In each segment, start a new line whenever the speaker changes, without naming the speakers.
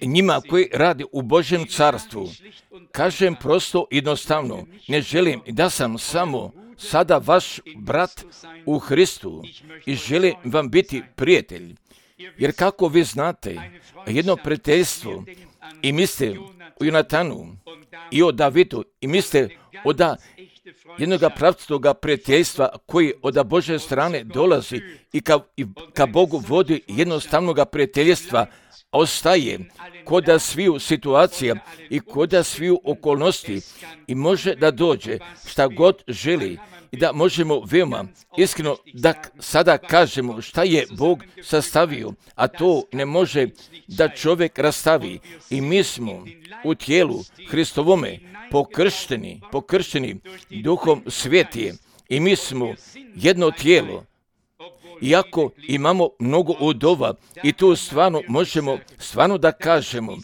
njima koji radi u Božjem carstvu, kažem prosto jednostavno, ne želim da sam samo sada vaš brat u Hristu i želim vam biti prijatelj. Jer kako vi znate, jedno prijateljstvo i mislite o Jonatanu i o Davidu i mislite o jednog pravcatoga prijateljstva koji od Božje strane dolazi i ka Bogu vodi jednostavnog prijateljstva, ostaje koda sviju situacija i koda sviju okolnosti i može da dođe šta god želi i da možemo veoma iskreno da sada kažemo šta je Bog sastavio, a to ne može da čovjek rastavi. I mi smo u tijelu Hristovome pokršteni Duhom Svetije i mi smo jedno tijelo. Iako imamo mnogo udova i tu stvarno možemo da kažemo,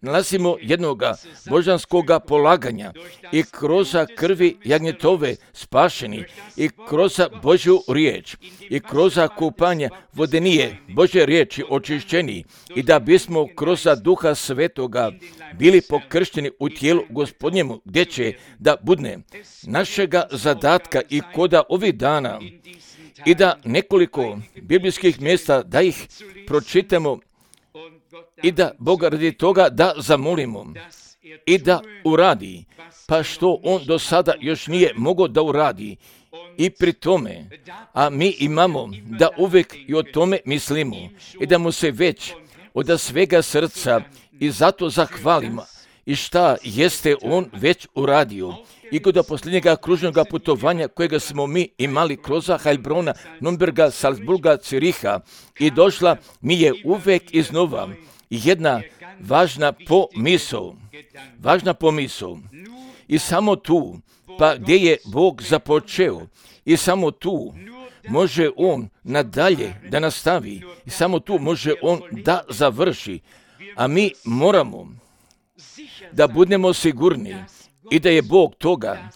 nalazimo jednoga božanskoga polaganja i kroz krvi jagnjetove spašeni i kroz Božju riječ i kroz kupanje vodenije Božje riječi očišćeni i da bismo kroz Duha Svetoga bili pokršteni u tijelu Gospodnjemu, gdje će da budne našega zadatka i koda ovih dana i da nekoliko biblijskih mjesta da ih pročitamo i da Boga radi toga da zamolimo i da uradi, pa što on do sada još nije mogao da uradi. I pri tome, a mi imamo da uvijek i o tome mislimo i da mu se već od svega srca i zato zahvalimo i šta jeste on već uradio. I kod posljednjega kružnog putovanja kojega smo mi imali kroz Heilbrona, Nürnberga, Salzburga, Ciriha i došla mi je uvijek iznova jedna važna pomisao. I samo tu, pa gdje je Bog započeo, i samo tu može on nadalje da nastavi, i samo tu može on da završi. A mi moramo da budemo sigurni i da je Bog toga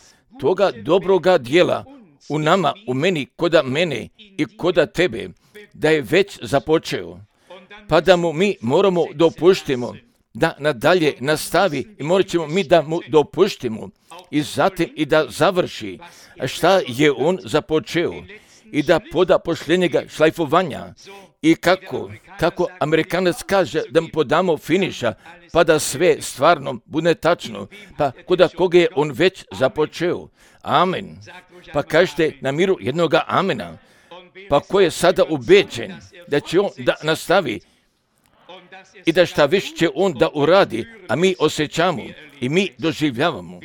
dobroga dijela u nama, u meni, koda mene i koda tebe, da je već započeo. Pa da mu mi moramo dopuštimo da nadalje nastavi i morat ćemo mi da mu dopuštimo i zatim i da završi šta je on započeo i da poda posljednjega šlajfovanja i kako Amerikanac kaže da mu podamo finiša pa da sve stvarno bude tačno, pa koda koga je on već započeo. Amen. Pa kažete na miru jednoga amena, pa ko je sada ubeđen da će on da nastavi i da šta više će on da uradi, a mi osjećamo i mi doživljavamo.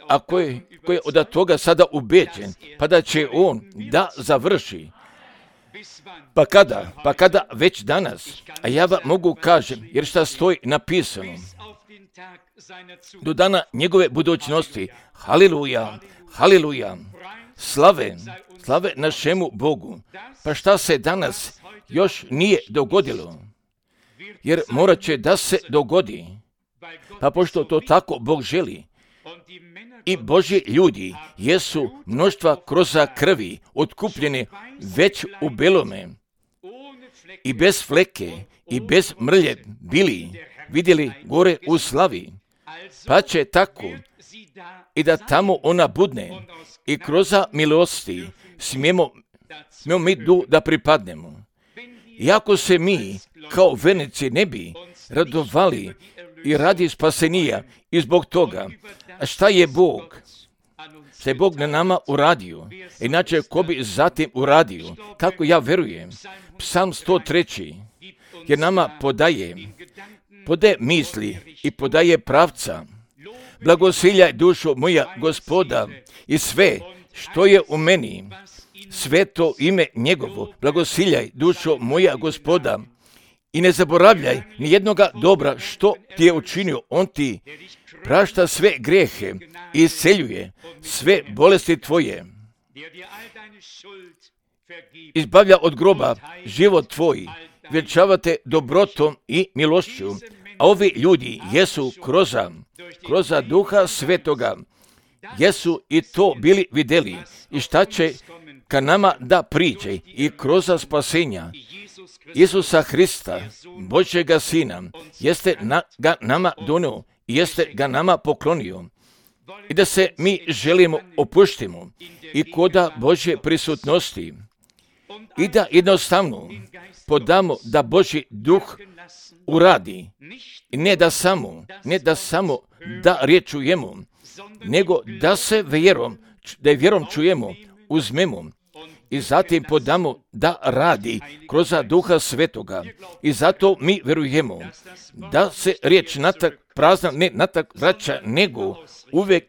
A ko je od toga sada ubeđen, pa da će on da završi. Pa kada već danas, a ja vam mogu kažem, jer šta stoji napisano, do dana njegove budućnosti, haleluja, haleluja, slave našemu Bogu. Pa šta se danas još nije dogodilo, jer morat će da se dogodi, pa pošto to tako Bog želi. I Božji ljudi jesu mnoštva kroz krvi otkupljeni već u belome i bez fleke i bez mrlje bili vidjeli gore u slavi, pa će tako i da tamo ona budne i kroz milosti smijemo mi da pripadnemo. Iako se mi kao vernici ne bi radovali i radi spasenija i zbog toga, a šta je Bog na nama uradio, inače ko bi zatim uradio, kako ja verujem, Psalm 103, jer nama podaje misli i podaje pravca. Blagosiljaj dušo moja Gospoda i sve što je u meni, sveto ime njegovo, blagosiljaj dušo moja Gospoda i ne zaboravljaj ni jednoga dobra što ti je učinio, on ti prašta sve grijehe i isceljuje sve bolesti tvoje. Izbavlja od groba život tvoj, vjenčavate dobrotom i milošću, a ovi ljudi jesu kroz Duha Svetoga, jesu i to bili vidjeli i šta će ka nama da priđe i kroz spasenja Isusa Hrista, Božjega Sina, jeste ga nama donio i jeste ga nama poklonio. I da se mi želimo opuštimo i koda Božje prisutnosti i da jednostavno podamo da Božji duh uradi. I ne da samo da riječ čujemo, nego da se vjerom čujemo, uzmemo i zatim podamo da radi kroz Duha Svetoga. I zato mi vjerujemo da se riječ prazna ne natak vraća, nego uvijek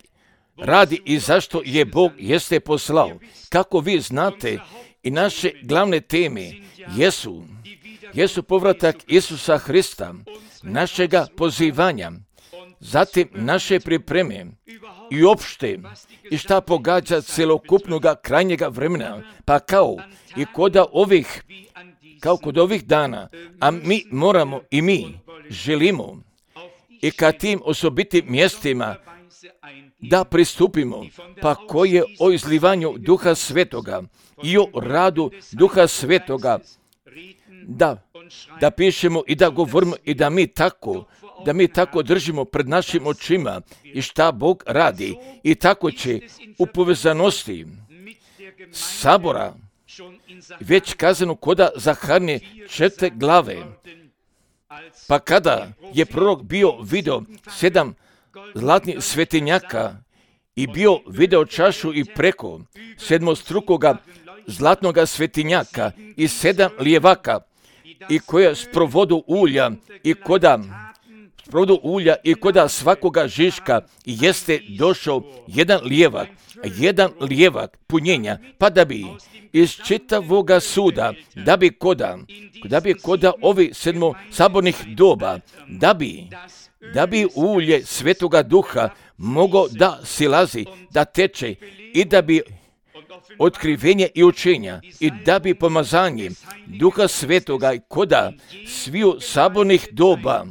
radi i zašto je Bog jeste poslao. Kako vi znate, i naše glavne teme jesu povratak Isusa Hrista, našega pozivanja, zatim naše pripreme i opšte i šta pogađa celokupnoga krajnjega vremena, pa kao kod ovih dana, a mi moramo i mi želimo i ka tim osobitim mjestima da pristupimo, pa koje o izlivanju Duha Svetoga i o radu Duha Svetoga, da pišemo i da govorimo i da mi tako držimo pred našim očima i šta Bog radi. I tako će u povezanosti sabora već kazano koda Zaharnije 4. glave. Pa kada je prorok bio video 7 zlatnih svetinjaka i bio video čašu i preko sedmostrukoga zlatnoga svetinjaka i 7 lijevaka i koja sprovodu ulja i koda svakoga žiška jeste došao jedan lijevak punjenja, pa da bi iz čitavoga suda, da bi koda ovi 7 sabornih doba, da bi ulje Svetoga Duha moglo da silazi, da teče i da bi otkrivenje i učenja i da bi pomazanje Duha Svetoga koda sviju sabornih doba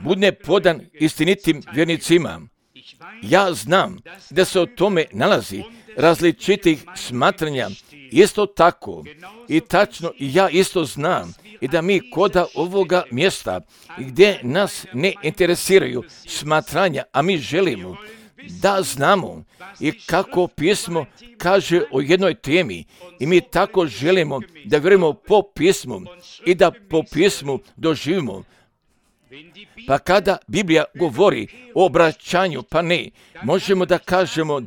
bude podan istinitim vjernicima. Ja znam da se o tome nalazi različitih smatranja, isto tako i tačno ja isto znam i da mi koda ovoga mjesta gdje nas ne interesiraju smatranja, a mi želimo da znamo i kako pismo kaže o jednoj temi i mi tako želimo da vjerujemo po pismu i da po pismu doživimo. Pa kada Biblija govori o obraćanju, pa ne, možemo da kažemo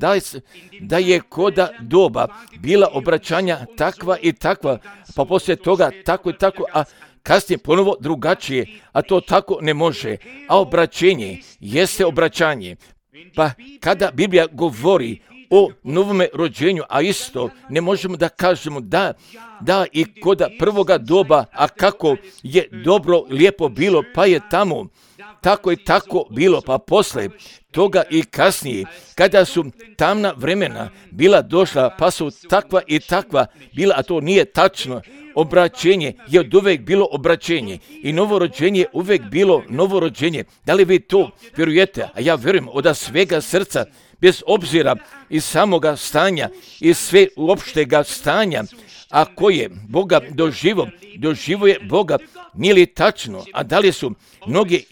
da je koda doba bila obraćanja takva i takva, pa poslije toga tako i tako, a kasnije ponovo drugačije, a to tako ne može. A obraćenje jeste obraćanje. Pa kada Biblija govori o novome rođenju, a isto ne možemo da kažemo da i koda prvoga doba, a kako je dobro, lijepo bilo, pa je tamo tako i tako bilo, pa posle toga i kasnije, kada su tamna vremena bila došla, pa su takva i takva bila, a to nije tačno. Obraćenje je od uvek bilo obraćenje i novorođenje je uvek bilo novorođenje. Da li vi to vjerujete? A ja vjerujem od svega srca, bez obzira iz samoga stanja i sve uopštega stanja, a koje Boga doživo je Boga, nije li tačno? A da li su mnogi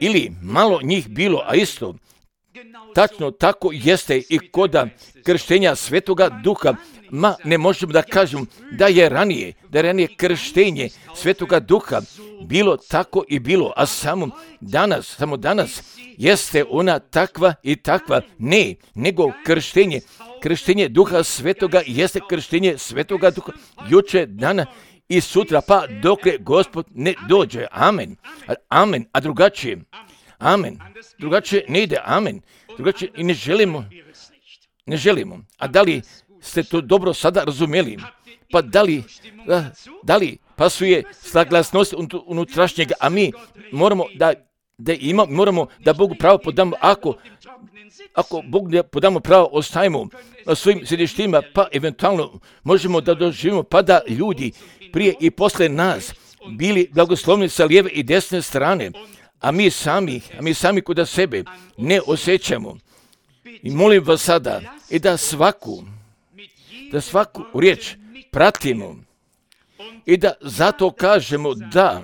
ili malo njih bilo, a isto tačno tako jeste i koda krštenja Svetoga Duha, ne možemo da kažemo da je ranije krštenje Svetoga Duha bilo tako i bilo, a samo danas jeste ona takva i takva, ne, nego krštenje Duha Svetoga jeste krštenje Svetoga Duha juče, dana i sutra, pa dokle Gospod ne dođe. Amen. Amen. A drugačije? Amen. Drugačije ne ide. Amen. Drugačije i ne želimo. A da li ste to dobro sada razumjeli? Pa da li pasuje saglasnost unutrašnjega, a mi moramo moramo da Bogu pravo podamo, ako Bog ne podamo pravo, ostajemo na svojim sjedištima, pa eventualno možemo da doživimo, pa da ljudi prije i posle nas bili blagoslovni sa lijeve i desne strane, a mi sami kod sebe ne osjećamo. I molim vas sada i da svaku riječ pratimo i da zato kažemo da.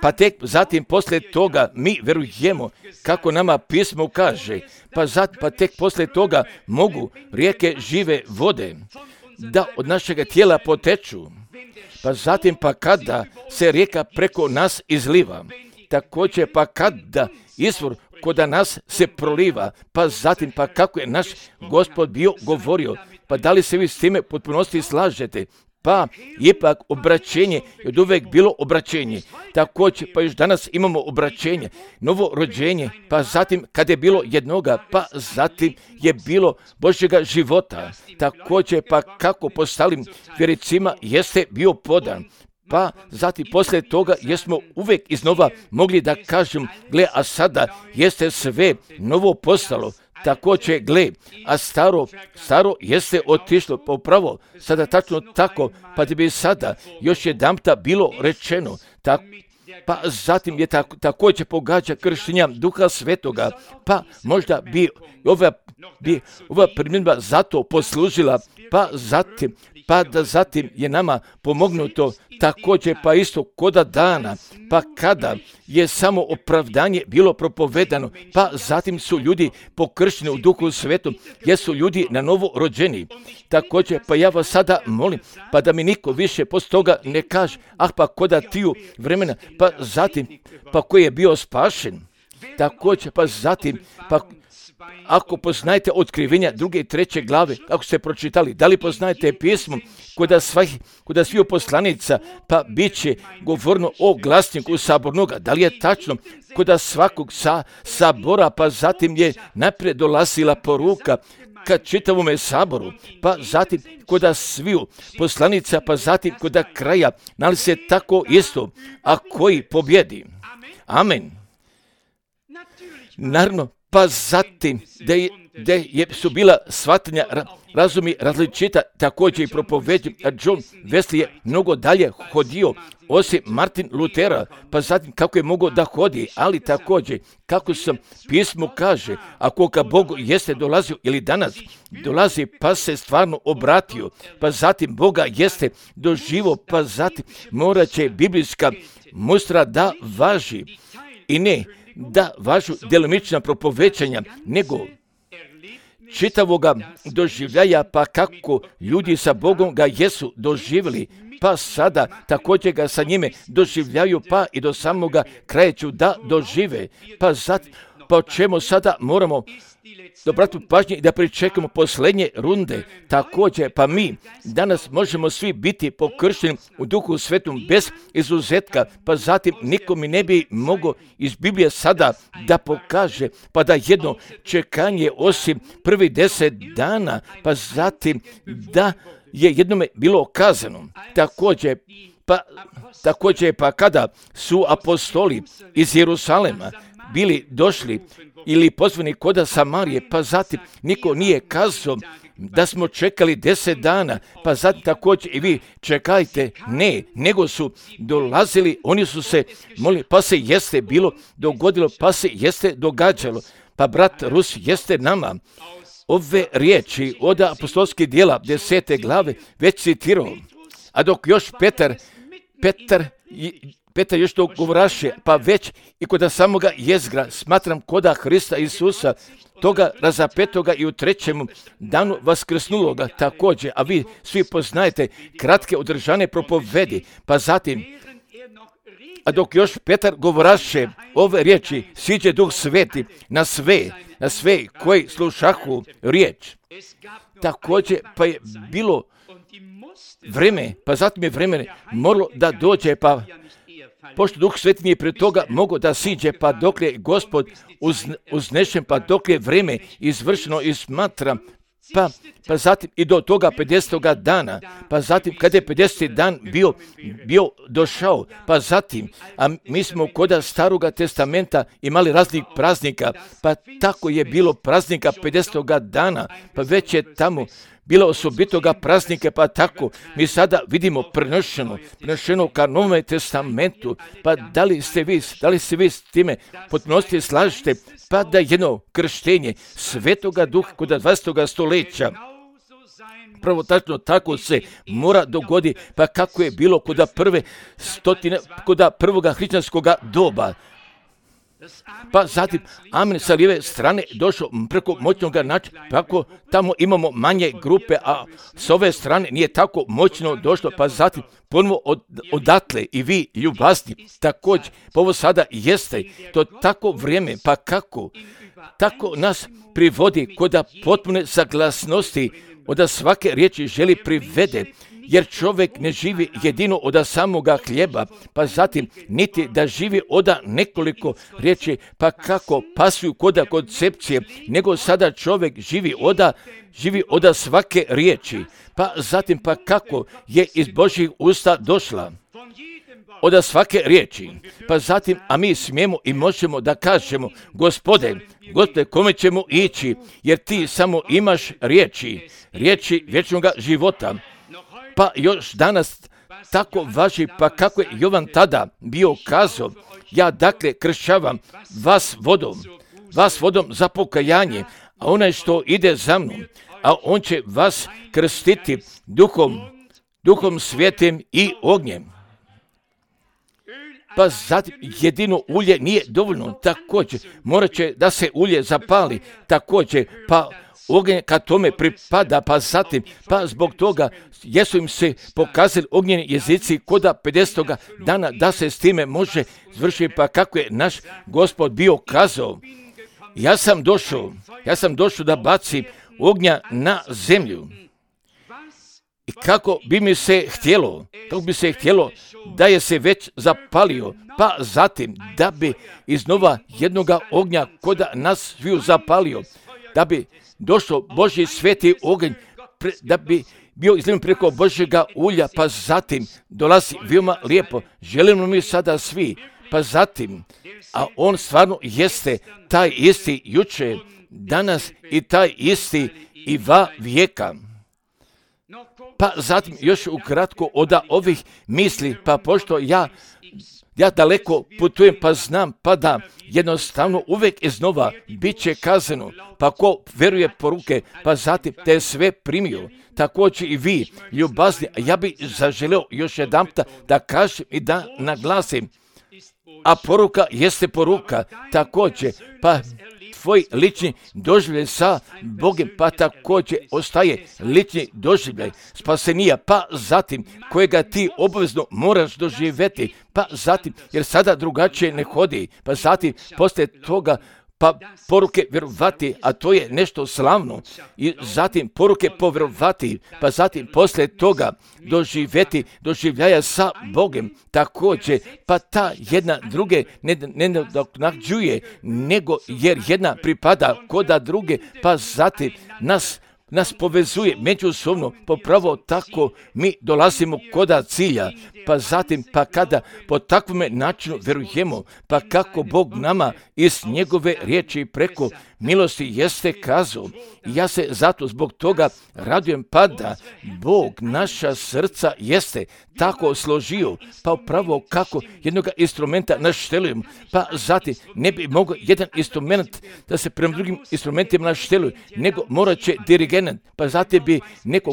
Pa tek zatim poslije toga mi verujemo kako nama pismo kaže, pa tek poslije toga mogu rijeke žive vode da od našega tijela poteču, pa zatim pa kada se rijeka preko nas izliva, također pa kada izvor kod nas se proliva, pa zatim pa kako je naš Gospod bio govorio, pa da li se vi s time potpunosti slažete? Pa ipak obraćenje je od uvijek bilo obraćenje. Također pa još danas imamo obraćenje, novo rođenje, pa zatim kad je bilo jednoga, pa zatim je bilo Božjega života. Također pa kako postalim vjericima jeste bio podan. Pa zatim poslije toga jesmo uvijek iznova mogli da kažem, gle, a sada jeste sve novo postalo. Također, gle, a staro jeste otišlo, pa upravo sada tačno tako, pa da bi sada još jedanputa bilo rečeno, pa zatim je također pogađa krštenja Duha Svetoga, pa možda bi ova primjedba zato poslužila, pa da zatim je nama pomognuto također pa isto koda dana, pa kada je samo opravdanje bilo propovedano, pa zatim su ljudi pokršteni u Duhu Svetom, jer su ljudi na novo rođeni. Također pa ja vas sada molim, pa da mi niko više poslije toga ne kaže, pa koda tiju vremena, pa zatim pa koji je bio spašen. Također pa zatim pa ako poznajete otkrivenja 2. i 3. glave, ako ste pročitali, da li poznajete pismo kod svih poslanica, pa bit će govorno o glasniku sabornoga, da li je tačno kod svakog sabora, pa zatim je naprijed dolazila poruka ka čitavome saboru, pa zatim kod sviju poslanica, pa zatim kod kraja, nali se tako isto, a koji pobjedi. Amen. Naravno, pa zatim da su bila shvatanja razumi različita, također i propoveđen, a John Wesley je mnogo dalje hodio, osim Martin Lutera, pa zatim kako je mogao da hodi, ali također kako sam pismo kaže, ako ka Bogu jeste dolazio ili danas dolazi, pa se stvarno obratio, pa zatim Boga jeste doživo, pa zatim morat će biblijska mustra da važi i ne da važu djelomična propovećanja, nego čitavoga doživljaja, pa kako ljudi sa Bogom ga jesu doživjeli, pa sada također ga sa njime doživljaju, pa i do samoga kraja ću da dožive. Pa o čemu sada moramo obratiti pažnje i da pričekamo posljednje runde. Također, pa mi danas možemo svi biti pokršteni u Duhu Svetom bez izuzetka, pa zatim niko mi ne bi mogao iz Biblije sada da pokaže, pa da jedno čekanje osim prvi 10 dana, pa zatim da je jednome bilo kazano. Također, pa kada su apostoli iz Jerusalema bili došli ili pozvani koda Samarije, pa zatim niko nije kazao da smo čekali 10 dana, pa zatim također i vi čekajte, ne, nego su dolazili, oni su se molili, pa se jeste bilo dogodilo, pa se jeste događalo, pa brat Rus jeste nama ove riječi od apostolskih djela 10. glave već citirao, a dok još Petar još to govoraše, pa već i kod samoga jezgra smatram koda Hrista Isusa, toga razapetoga i u 3. danu vaskrsnuloga također, a vi svi poznajete kratke održane propovedi, pa zatim, a dok još Petar govoraše ove riječi, siđe Duh Sveti na sve koji slušahu riječ. Također, pa je bilo vreme, pa zatim je vreme moralo da dođe, pa pošto Duh Sveti nije prije toga mogao da siđe, pa dok je Gospod uznešen, pa dok je vreme izvršeno i smatra, pa zatim i do toga 50. dana, pa zatim kada je 50. dan bio došao, pa zatim, a mi smo kod Staroga testamenta imali raznih praznika, pa tako je bilo praznika 50. dana, pa već je tamo bilo osobitoga praznika, pa tako mi sada vidimo prenošeno ka Novome testamentu, pa da li se vi s time potpunosti slažete, pa da jedno krštenje Svetoga Duha kod 20. stoljeća Prvo tačno tako se mora dogoditi, pa kako je bilo kod prvoga hrišćanskog doba. Pa zatim amen sa lijeve strane došao preko moćnog načina, kako tamo imamo manje grupe, a s ove strane nije tako moćno došlo, pa zatim ponovo odatle i vi ljubazni također, pa ovo sada jeste to tako vrijeme, pa kako tako nas privodi kod potpune saglasnosti od svake riječi želi privede, jer čovjek ne živi jedino od samoga hljeba, pa zatim niti da živi od nekoliko riječi, pa kako pasuju kod koncepcije, nego sada čovjek živi od svake riječi, pa zatim pa kako je iz Božjih usta došla od svake riječi, pa zatim, a mi smijemo i možemo da kažemo, Gospode, kome ćemo ići, jer ti samo imaš riječi vječnog života. Pa još danas tako važi, pa kako je Jovan tada bio kazao, ja dakle kršćavam vas vodom za pokajanje, a onaj što ide za mnom, a on će vas krstiti duhom svijetim i ognjem. Pa zatim jedino ulje nije dovoljno, također morat će da se ulje zapali, također pa ognjen kad tome pripada, pa zatim, pa zbog toga jesu im se pokazali ognjeni jezici koda 50. dana da se s time može zvršiti, pa kako je naš Gospod bio kazao, ja sam došao da bacim ognja na zemlju. I kako bi se htjelo da je se već zapalio, pa zatim da bi iznova jednoga ognja koda nas sviju zapalio, da bi došao Božji sveti oganj, da bi bio izlijevan preko Božjega ulja, pa zatim dolazi veoma lijepo. Želimo mi sada svi, pa zatim, a on stvarno jeste taj isti jučer, danas i taj isti i va vijeka. Pa zatim još ukratko od ovih misli, pa pošto ja daleko putujem, pa znam, pa da jednostavno uvijek iznova bit će kazano, pa ko veruje poruke, pa zatim te sve primio, također i vi, ljubazni, ja bi zaželeo još jedanputa da kažem i da naglasim, a poruka jeste poruka, također, pa tvoj lični doživljaj sa Bogom, pa također ostaje lični doživljaj spasenija, pa zatim kojega ti obavezno moraš doživjeti, pa zatim, jer sada drugačije ne hodi, pa zatim poslije toga pa poruke vjerovati, a to je nešto slavno, i zatim poruke povjerovati, pa zatim poslije toga doživljaja sa Bogom, također, pa ta jedna druge ne nadoknađuje, nego jer jedna pripada koda druge, pa zatim nas povezuje međusobno, popravo tako mi dolazimo koda cilja, pa zatim, pa kada po takvome načinu vjerujemo, pa kako Bog nama iz njegove riječi preko milosti jeste kazao. Ja se zato zbog toga radujem, pa da Bog naša srca jeste tako složio, pa upravo kako jednog instrumenta naštelujemo, pa zatim ne bi mogao jedan instrument da se prema drugim instrumentima našteluje, nego morat će dirigent, pa zatim bi neko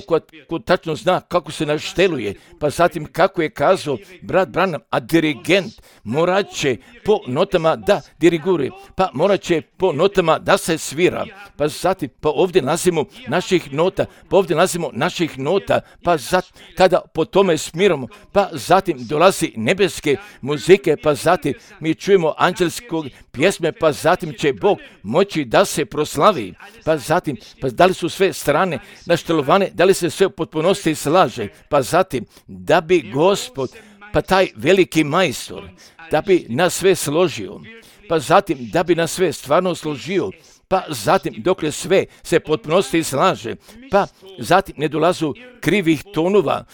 ko tačno zna kako se našteluje, pa zatim kako je kazao brat Branham, a dirigent morat će po notama da diriguje, pa morat će po notama da se svira, pa zatim, pa ovdje nalazimo naših nota, pa zatim, kada po tome smiramo, pa zatim dolazi nebeske muzike, pa zatim mi čujemo anđelske pjesme, pa zatim će Bog moći da se proslavi, pa zatim, pa da li su sve strane naštelovane, da li se sve u potpunosti slaže, pa zatim, da bi Gospod, pa taj veliki majstor, da bi nas sve složio, pa zatim, da bi nas sve stvarno složio, pa zatim dokle sve se potpunosti slaže, pa zatim ne dolazu krivih tonova,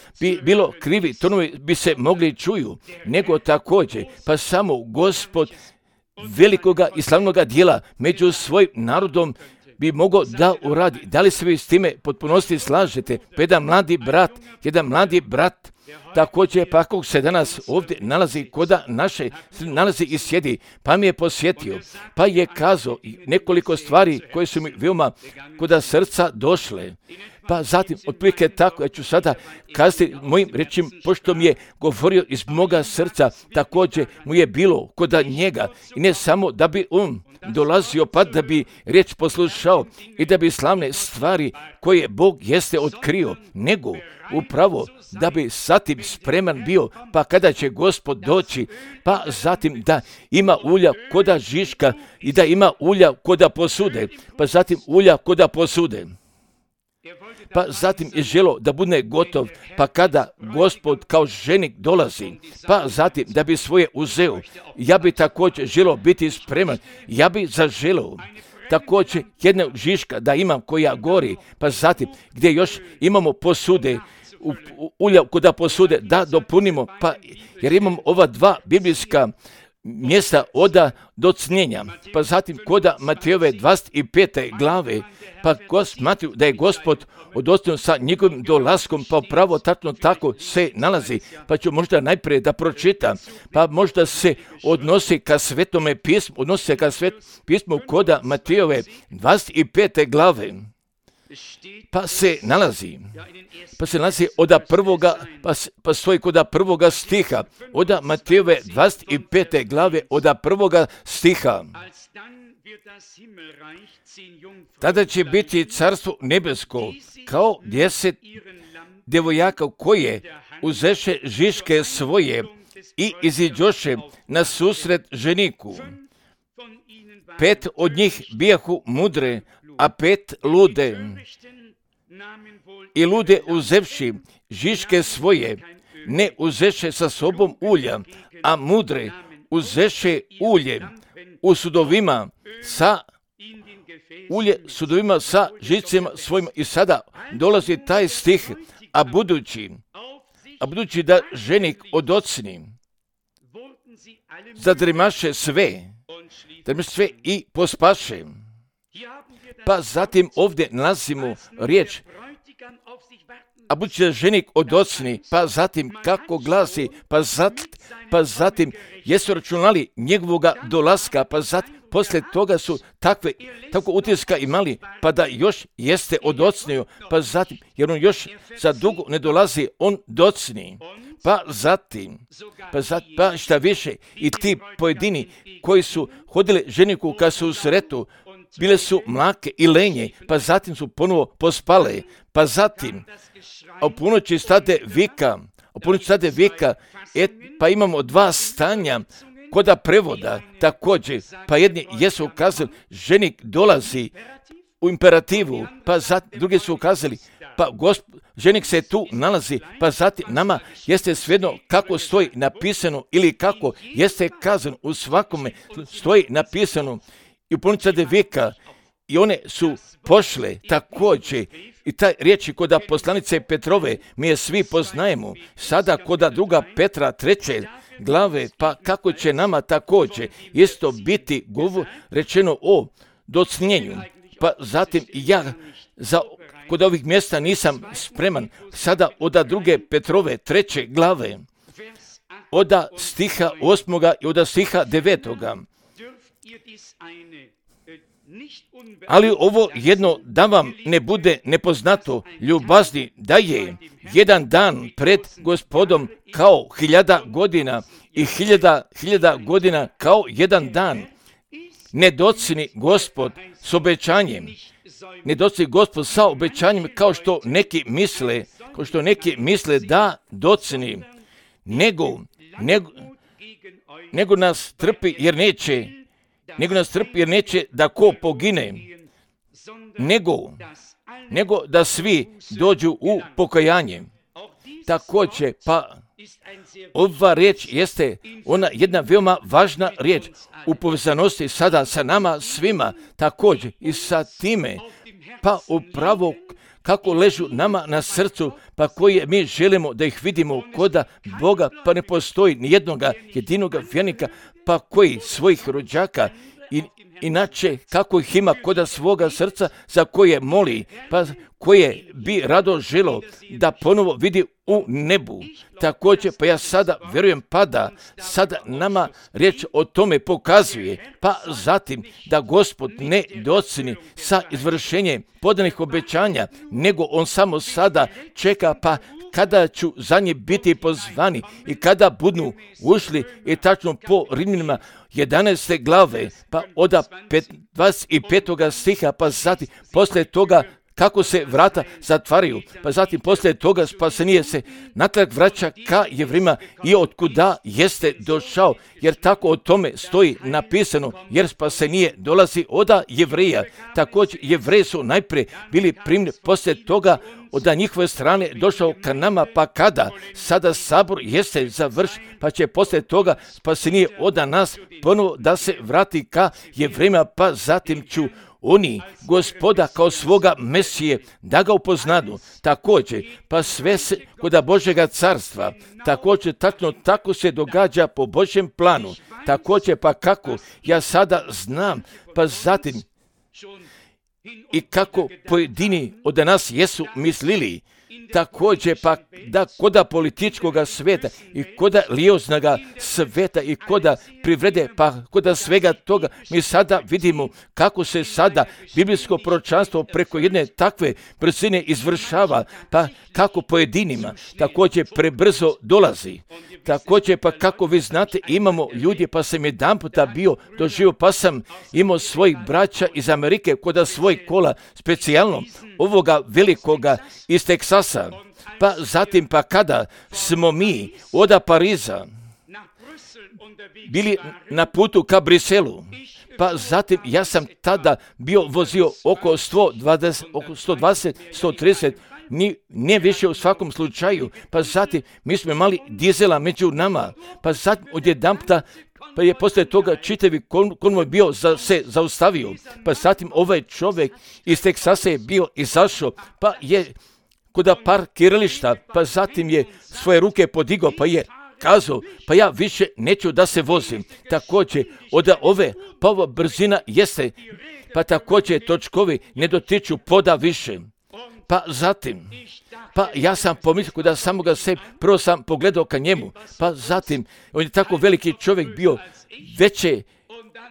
bilo krivi tonovi bi se mogli čuju, nego također, pa samo Gospod velikoga i slavnoga dijela među svojim narodom bi mogao da uradi. Da li se vi s time potpunosti slažete? Pa jedan mladi brat, također pa kako se danas ovdje nalazi koda naše, nalazi i sjedi, pa mi je posjetio, pa je kazao nekoliko stvari koje su mi veoma koda srca došle. Pa zatim, otprilike tako, ja ću sada kazati mojim rečima, pošto mi je govorio iz moga srca, također mu je bilo kod njega. I ne samo da bi on dolazio, pa da bi riječ poslušao i da bi slavne stvari koje Bog jeste otkrio, nego upravo da bi zatim spreman bio, pa kada će Gospod doći, pa zatim da ima ulja koda žiška i da ima ulja koda posude, pa zatim ulja koda posude. Pa zatim je želo da bude gotov, pa kada Gospod kao ženik dolazi, pa zatim da bi svoje uzeo, ja bi također želo biti spreman, ja bi zaželeo također jedna žiška da imam koja gori, pa zatim gdje još imamo posude, ulja koda posude da dopunimo, pa jer imamo ova dva biblijska mjesta oda docnjenja, pa zatim koda Matejove 25. glave, pa smatruju da je Gospod odostojno sa njegovim dolaskom, pa pravo tačno tako se nalazi, pa ću možda najprije da pročitam, pa možda se odnosi ka Svetome pismu, odnosi se ka pismu koda Matejove 25. glave, pa se nalazi oda prvoga, pa stoji koda prvoga stiha, oda Matejove 25. glave, oda prvoga stiha. Tada će biti carstvo nebesko kao 10 djevojaka koje uzeše žiške svoje i iziđoše na susret ženiku. 5 od njih bijahu mudre, a 5 lude. I lude uzevši žiške svoje, ne uzeše sa sobom ulja, a mudre uzeše ulje u sudovima sa žicima svojima. I sada dolazi taj stih, a budući da ženik odocni, zadremaše sve i pospaše. Pa zatim ovdje nalazimo riječ, a budući da ženik odocni, pa zatim kako glasi, pa zatim jesu računali njegovoga dolaska, pa zatim poslije toga su tako utiska imali, pa da još jeste odocnio, pa zatim, jer on još za dugo ne dolazi, on docni. Pa zatim, šta više, i ti pojedini koji su hodili ženiku kad su u sretu, bile su mlake i lenje, pa zatim su ponovo pospale, pa zatim, a u ponoći stade vika, pa imamo dva stanja koda prevoda također, pa jedni jesu ukazali, ženik dolazi u imperativu, pa zatim drugi su ukazali, pa ženik se tu nalazi, pa zatim nama jeste svejedno kako stoji napisano ili kako jeste kazano, u svakome stoji napisano i u ponoći stade vika i one su pošle također. I taj riječi koda poslanice Petrove mi je svi poznajemo, sada koda druga Petra 3. glave, pa kako će nama također isto biti rečeno o docnjenju. Pa zatim ja kod ovih mjesta nisam spreman, sada oda druge Petrove 3. glave, oda stiha 8. i oda stiha 9. Ali ovo jedno da vam ne bude nepoznato, ljubazni, da je jedan dan pred Gospodom kao 1000 godina i 1000 godina kao jedan dan. Ne docni Gospod s obećanjem, sa obećanjem kao što neki misle da docni, nego nas trpi jer neće da ko pogine, nego da svi dođu u pokajanje. Također, pa ova riječ jeste ona jedna veoma važna riječ u povezanosti sada sa nama svima, također i sa time, pa upravo kako ležu nama na srcu, pa koje mi želimo da ih vidimo koda Boga, pa ne postoji nijednoga jedinoga vjernika, pa koji svojih rođaka inače kako ih ima koda svoga srca za koje moli, pa koje bi rado želo da ponovo vidi u nebu. Također, pa ja sada vjerujem pa da sada nama riječ o tome pokazuje, pa zatim da Gospod ne doceni sa izvršenjem podanih obećanja, nego on samo sada čeka pa kada ću za nje biti pozvani i kada budu ušli i tačno po Rimljanima 11. glave, pa od 25. stiha, pa zatim poslije toga kako se vrata zatvaraju, pa zatim poslije toga spasenije se natrag vraća ka Jevrima i otkuda jeste došao, jer tako o tome stoji napisano, jer spasenije dolazi od Jevreja. Također Jevreji su najprije bili primljeni, poslije toga od njihove strane došao ka nama, pa kada sada sabor jeste završen, pa će poslije toga spasenije od nas ponovo da se vrati ka Jevrima, pa zatim ću oni Gospoda kao svoga Mesije da ga upoznadu. Također, pa sve se kod Božjega carstva, također tačno tako se događa po Božjem planu. Također, pa kako ja sada znam, pa zatim i kako pojedini od nas jesu mislili, također pa da koda političkog sveta i koda lijevog sveta i koda privrede, pa koda svega toga, mi sada vidimo kako se sada biblijsko proročanstvo preko jedne takve brzine izvršava, pa kako pojedinima također prebrzo dolazi. Također, pa kako vi znate, imamo ljudi, pa sam jedan puta bio doživio, pa sam imao svojih braća iz Amerike koda svoj kola, specijalno ovoga velikoga iz Teksasa. Pa zatim, pa kada smo mi od Pariza bili na putu ka Briselu, pa zatim ja sam tada bio vozio oko 120-130, ne više u svakom slučaju, pa zatim mi smo imali dizela među nama, pa zatim odjedanputa pa je poslije toga čitavi konvoj bio se zaustavio, pa zatim ovaj čovjek iz Teksasa je bio izašao, pa je kod parkirališta, pa zatim je svoje ruke podigao, pa je kazao, pa ja više neću da se vozim. Također, od ove, pa ova brzina jeste, pa također točkovi ne dotiču poda više. Pa zatim, pa ja sam pomislio da samoga sebe, prvo sam pogledao ka njemu, pa zatim, on je tako veliki čovjek bio,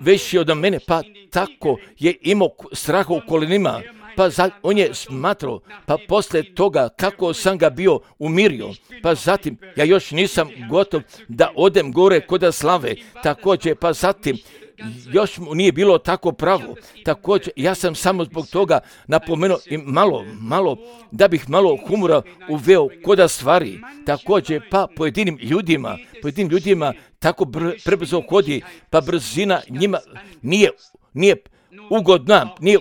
veći od mene, pa tako je imao straha u kolenima, pa on je smatrao, pa poslije toga kako sam ga bio umirio, pa zatim ja još nisam gotov da odem gore kod slave, također, pa zatim još mu nije bilo tako pravo. Također, ja sam samo zbog toga napomenuo i malo, da bih malo humora uveo koda stvari. Također, pa pojedinim ljudima tako prebrzo hodi, pa brzina njima nije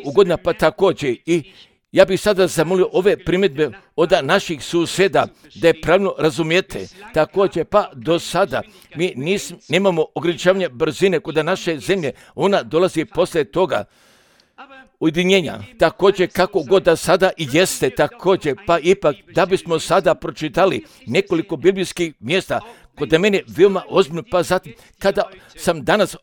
ugodna, pa također i ja bih sada zamolio ove primjedbe od naših susjeda da je pravilno razumijete. Također, pa do sada mi nemamo ograničavanja brzine kod naše zemlje, ona dolazi poslije toga ujedinjenja. Također, kako god da sada i jeste, također, pa ipak da bismo sada pročitali nekoliko biblijskih mjesta kod mene veoma ozbiljno, pa zatim kada sam danas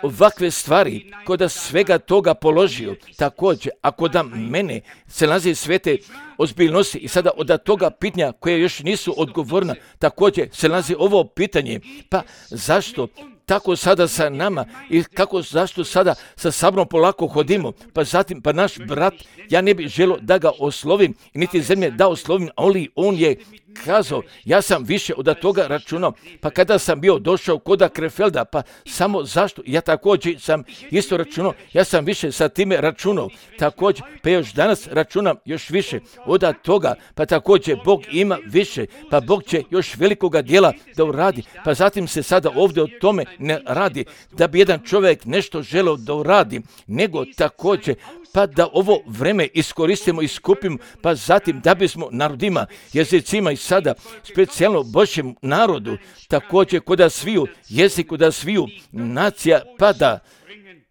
ovakve stvari kod svega toga položio, također, ako da mene se nalazi svete ozbiljnosti i sada od toga pitanja koje još nisu odgovorna, također se nalazi ovo pitanje, pa zašto tako sada sa nama i zašto sada sa sabrom polako hodimo, pa zatim, pa naš brat, ja ne bih želio da ga oslovim, niti zemlje da oslovim, ali on je kazao, ja sam više od toga računao, pa kada sam bio došao kod Krefelda, pa samo zašto, ja također sam isto računao, ja sam više sa time računao, također, pa još danas računam još više od toga, pa također Bog ima više, pa Bog će još velikoga dijela da uradi, pa zatim se sada ovdje o tome ne radi, da bi jedan čovjek nešto želeo da uradi, nego također, pa da ovo vreme iskoristimo i skupimo, pa zatim da bismo narodima, jezicima i sada specijalno Božjem narodu, također kod sviju jezik, kod sviju nacija, pa da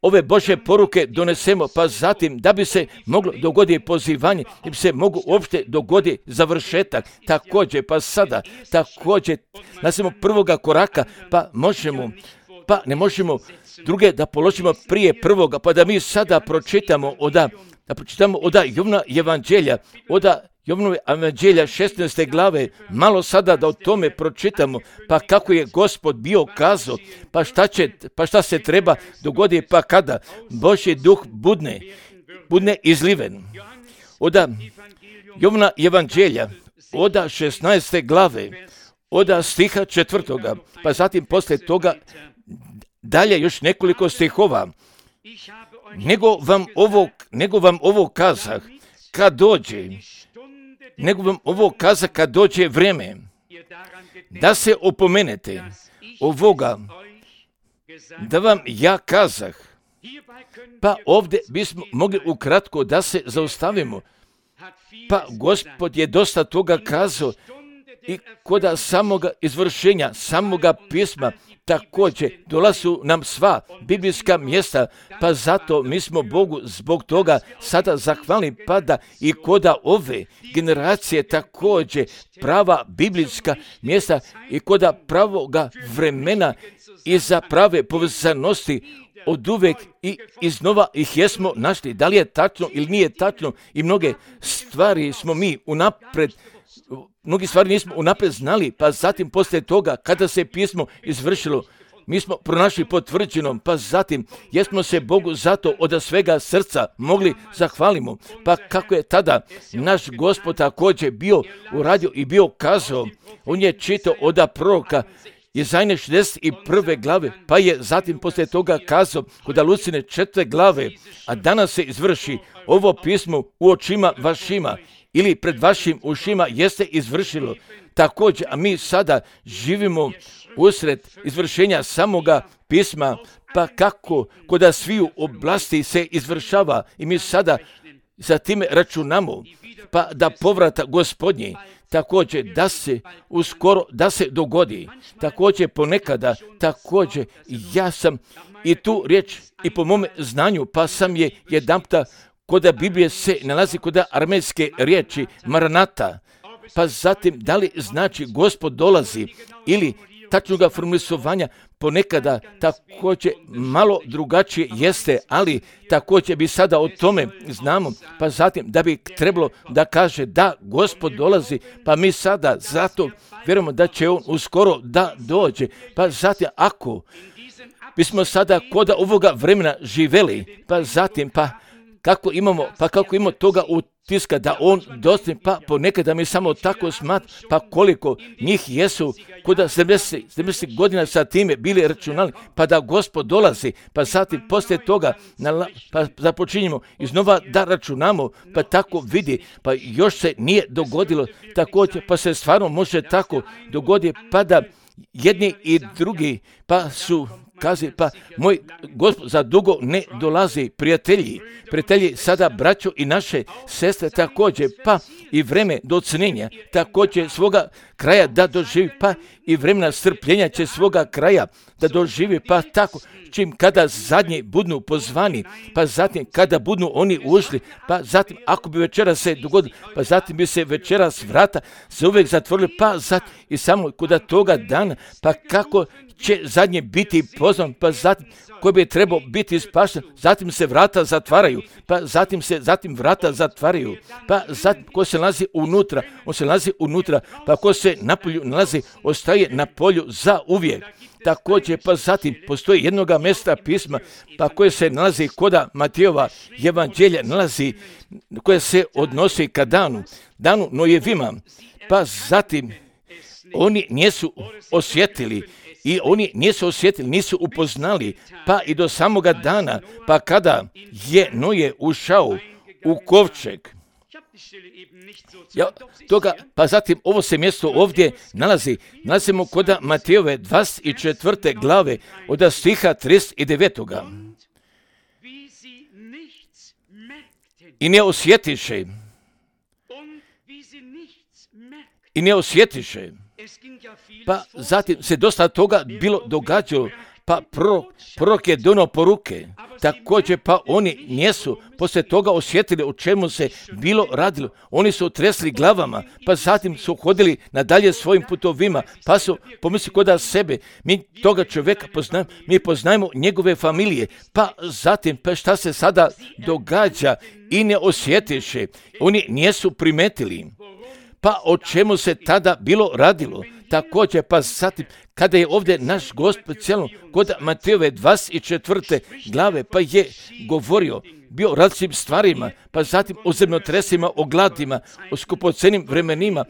ove Božje poruke donesemo, pa zatim da bi se moglo dogoditi pozivanje, da bi se moglo uopšte dogoditi završetak, također, pa sada, također, nastavimo prvoga koraka, pa ne možemo druge da položimo prije prvoga, pa da mi sada pročitamo od da pročitamo od Jovna evanđelja, od Jovnove evanđelja 16. glave, malo sada da o tome pročitamo, pa kako je Gospod bio kazao, pa šta se treba dogoditi, pa kada Božji duh budne izliven. Od Jovna evanđelja, od 16. glave, od stiha 4. pa zatim poslije toga dalje još nekoliko stihova. Nego vam ovo kazah kad dođe vrijeme da se opomenete ovoga da vam ja kazah. Pa ovdje bismo mogli ukratko da se zaustavimo. Pa Gospod je dosta toga kazao i kod samoga izvršenja, samoga pisma, također dolazu nam sva biblijska mjesta, pa zato mi smo Bogu zbog toga sada zahvalni, pa da i kod ove generacije također prava biblijska mjesta i kod pravoga vremena i za prave povezanosti od uvek i iznova ih jesmo našli. Da li je tačno ili nije tačno, i mnoge stvari smo mi mnogi stvari nismo unaprijed znali, pa zatim poslije toga kada se pismo izvršilo, mi smo pronašli potvrđenom, pa zatim jesmo se Bogu zato od svega srca mogli zahvalimo. Pa kako je tada naš Gospod također bio uradio i bio kazao, on je čitao od proroka Jezajne 61. glave, pa je zatim poslije toga kazao kod Lucine 4. glave, a danas se izvrši ovo pismo u očima vašima, ili pred vašim ušima jeste izvršilo. Također, a mi sada živimo usred izvršenja samoga pisma, pa kako kod sviju oblasti se izvršava i mi sada za time računamo, pa da povrata Gospodnji također da se dogodi. Također ponekada, također ja sam i tu riječ i po mome znanju, pa sam je jedanputa kod Biblije se nalazi kod armejske riječi Maranata, pa zatim da li znači Gospod dolazi ili tačnoga formulisovanja ponekada također malo drugačije jeste, ali također bi sada o tome znamo, pa zatim da bi trebalo da kaže da Gospod dolazi, pa mi sada zato vjerujemo da će on uskoro da dođe, pa zatim ako bismo sada kod ovoga vremena živeli, pa zatim kako imamo toga utiska da on dostigne, pa ponekada mi samo tako pa koliko njih jesu kod 70 godina sa time bili računali, pa da Gospod dolazi, pa zatim poslije toga pa započinjemo iznova da računamo, pa tako vidi, pa još se nije dogodilo također, pa se stvarno može tako dogoditi, pa da jedni i drugi pa su kaže, pa moj Gospod za dugo ne dolazi, prijatelji sada braćo i naše sestre također, pa i vreme do ocenjenja također svoga kraja da doživi, pa i vremena strpljenja će svoga kraja da doživi, pa tako čim kada zadnji budnu pozvani, pa zatim kada budnu oni ušli, pa zatim ako bi večera se dogodilo, pa zatim bi se večeras vrata se uvijek zatvorili, pa zatim i samo kod toga dana, pa kako će zadnje biti pozvan, pa zatim koji bi trebao biti spašen, zatim se vrata zatvaraju, pa zatim vrata zatvaraju, pa zatim ko se nalazi unutra, on se nalazi unutra, pa ko se na polju nalazi, ostaje na polju za uvijek. Također, pa zatim postoji jednoga mjesta pisma, pa koje se nalazi kod Matejova evanđelja, nalazi koje se odnosi ka danu Nojevima, pa zatim oni nisu osjetili, nisu upoznali, pa i do samoga dana, pa kada je Noje ušao u kovčeg. Pa zatim ovo se mjesto ovdje nalazimo kod Matejove 24. glave od stiha 39. I ne osjetiše. Pa zatim se dosta toga bilo događalo, pa prorok je donio poruke, također pa oni nisu poslije toga osjetili o čemu se bilo radilo. Oni su tresli glavama, pa zatim su hodili nadalje svojim putovima, pa su pomislili kod sebe, mi toga čovjeka poznajemo, mi poznajemo njegove familije, pa zatim pa šta se sada događa i ne osjetiše, oni nisu primetili. Pa o čemu se tada bilo radilo? Također, pa zatim, kada je ovdje naš Gospod cijelo kod Matejove 24. glave, pa je govorio, bio o različitim stvarima, pa zatim o zemljotresima, o gladima, o skupocenim vremenima,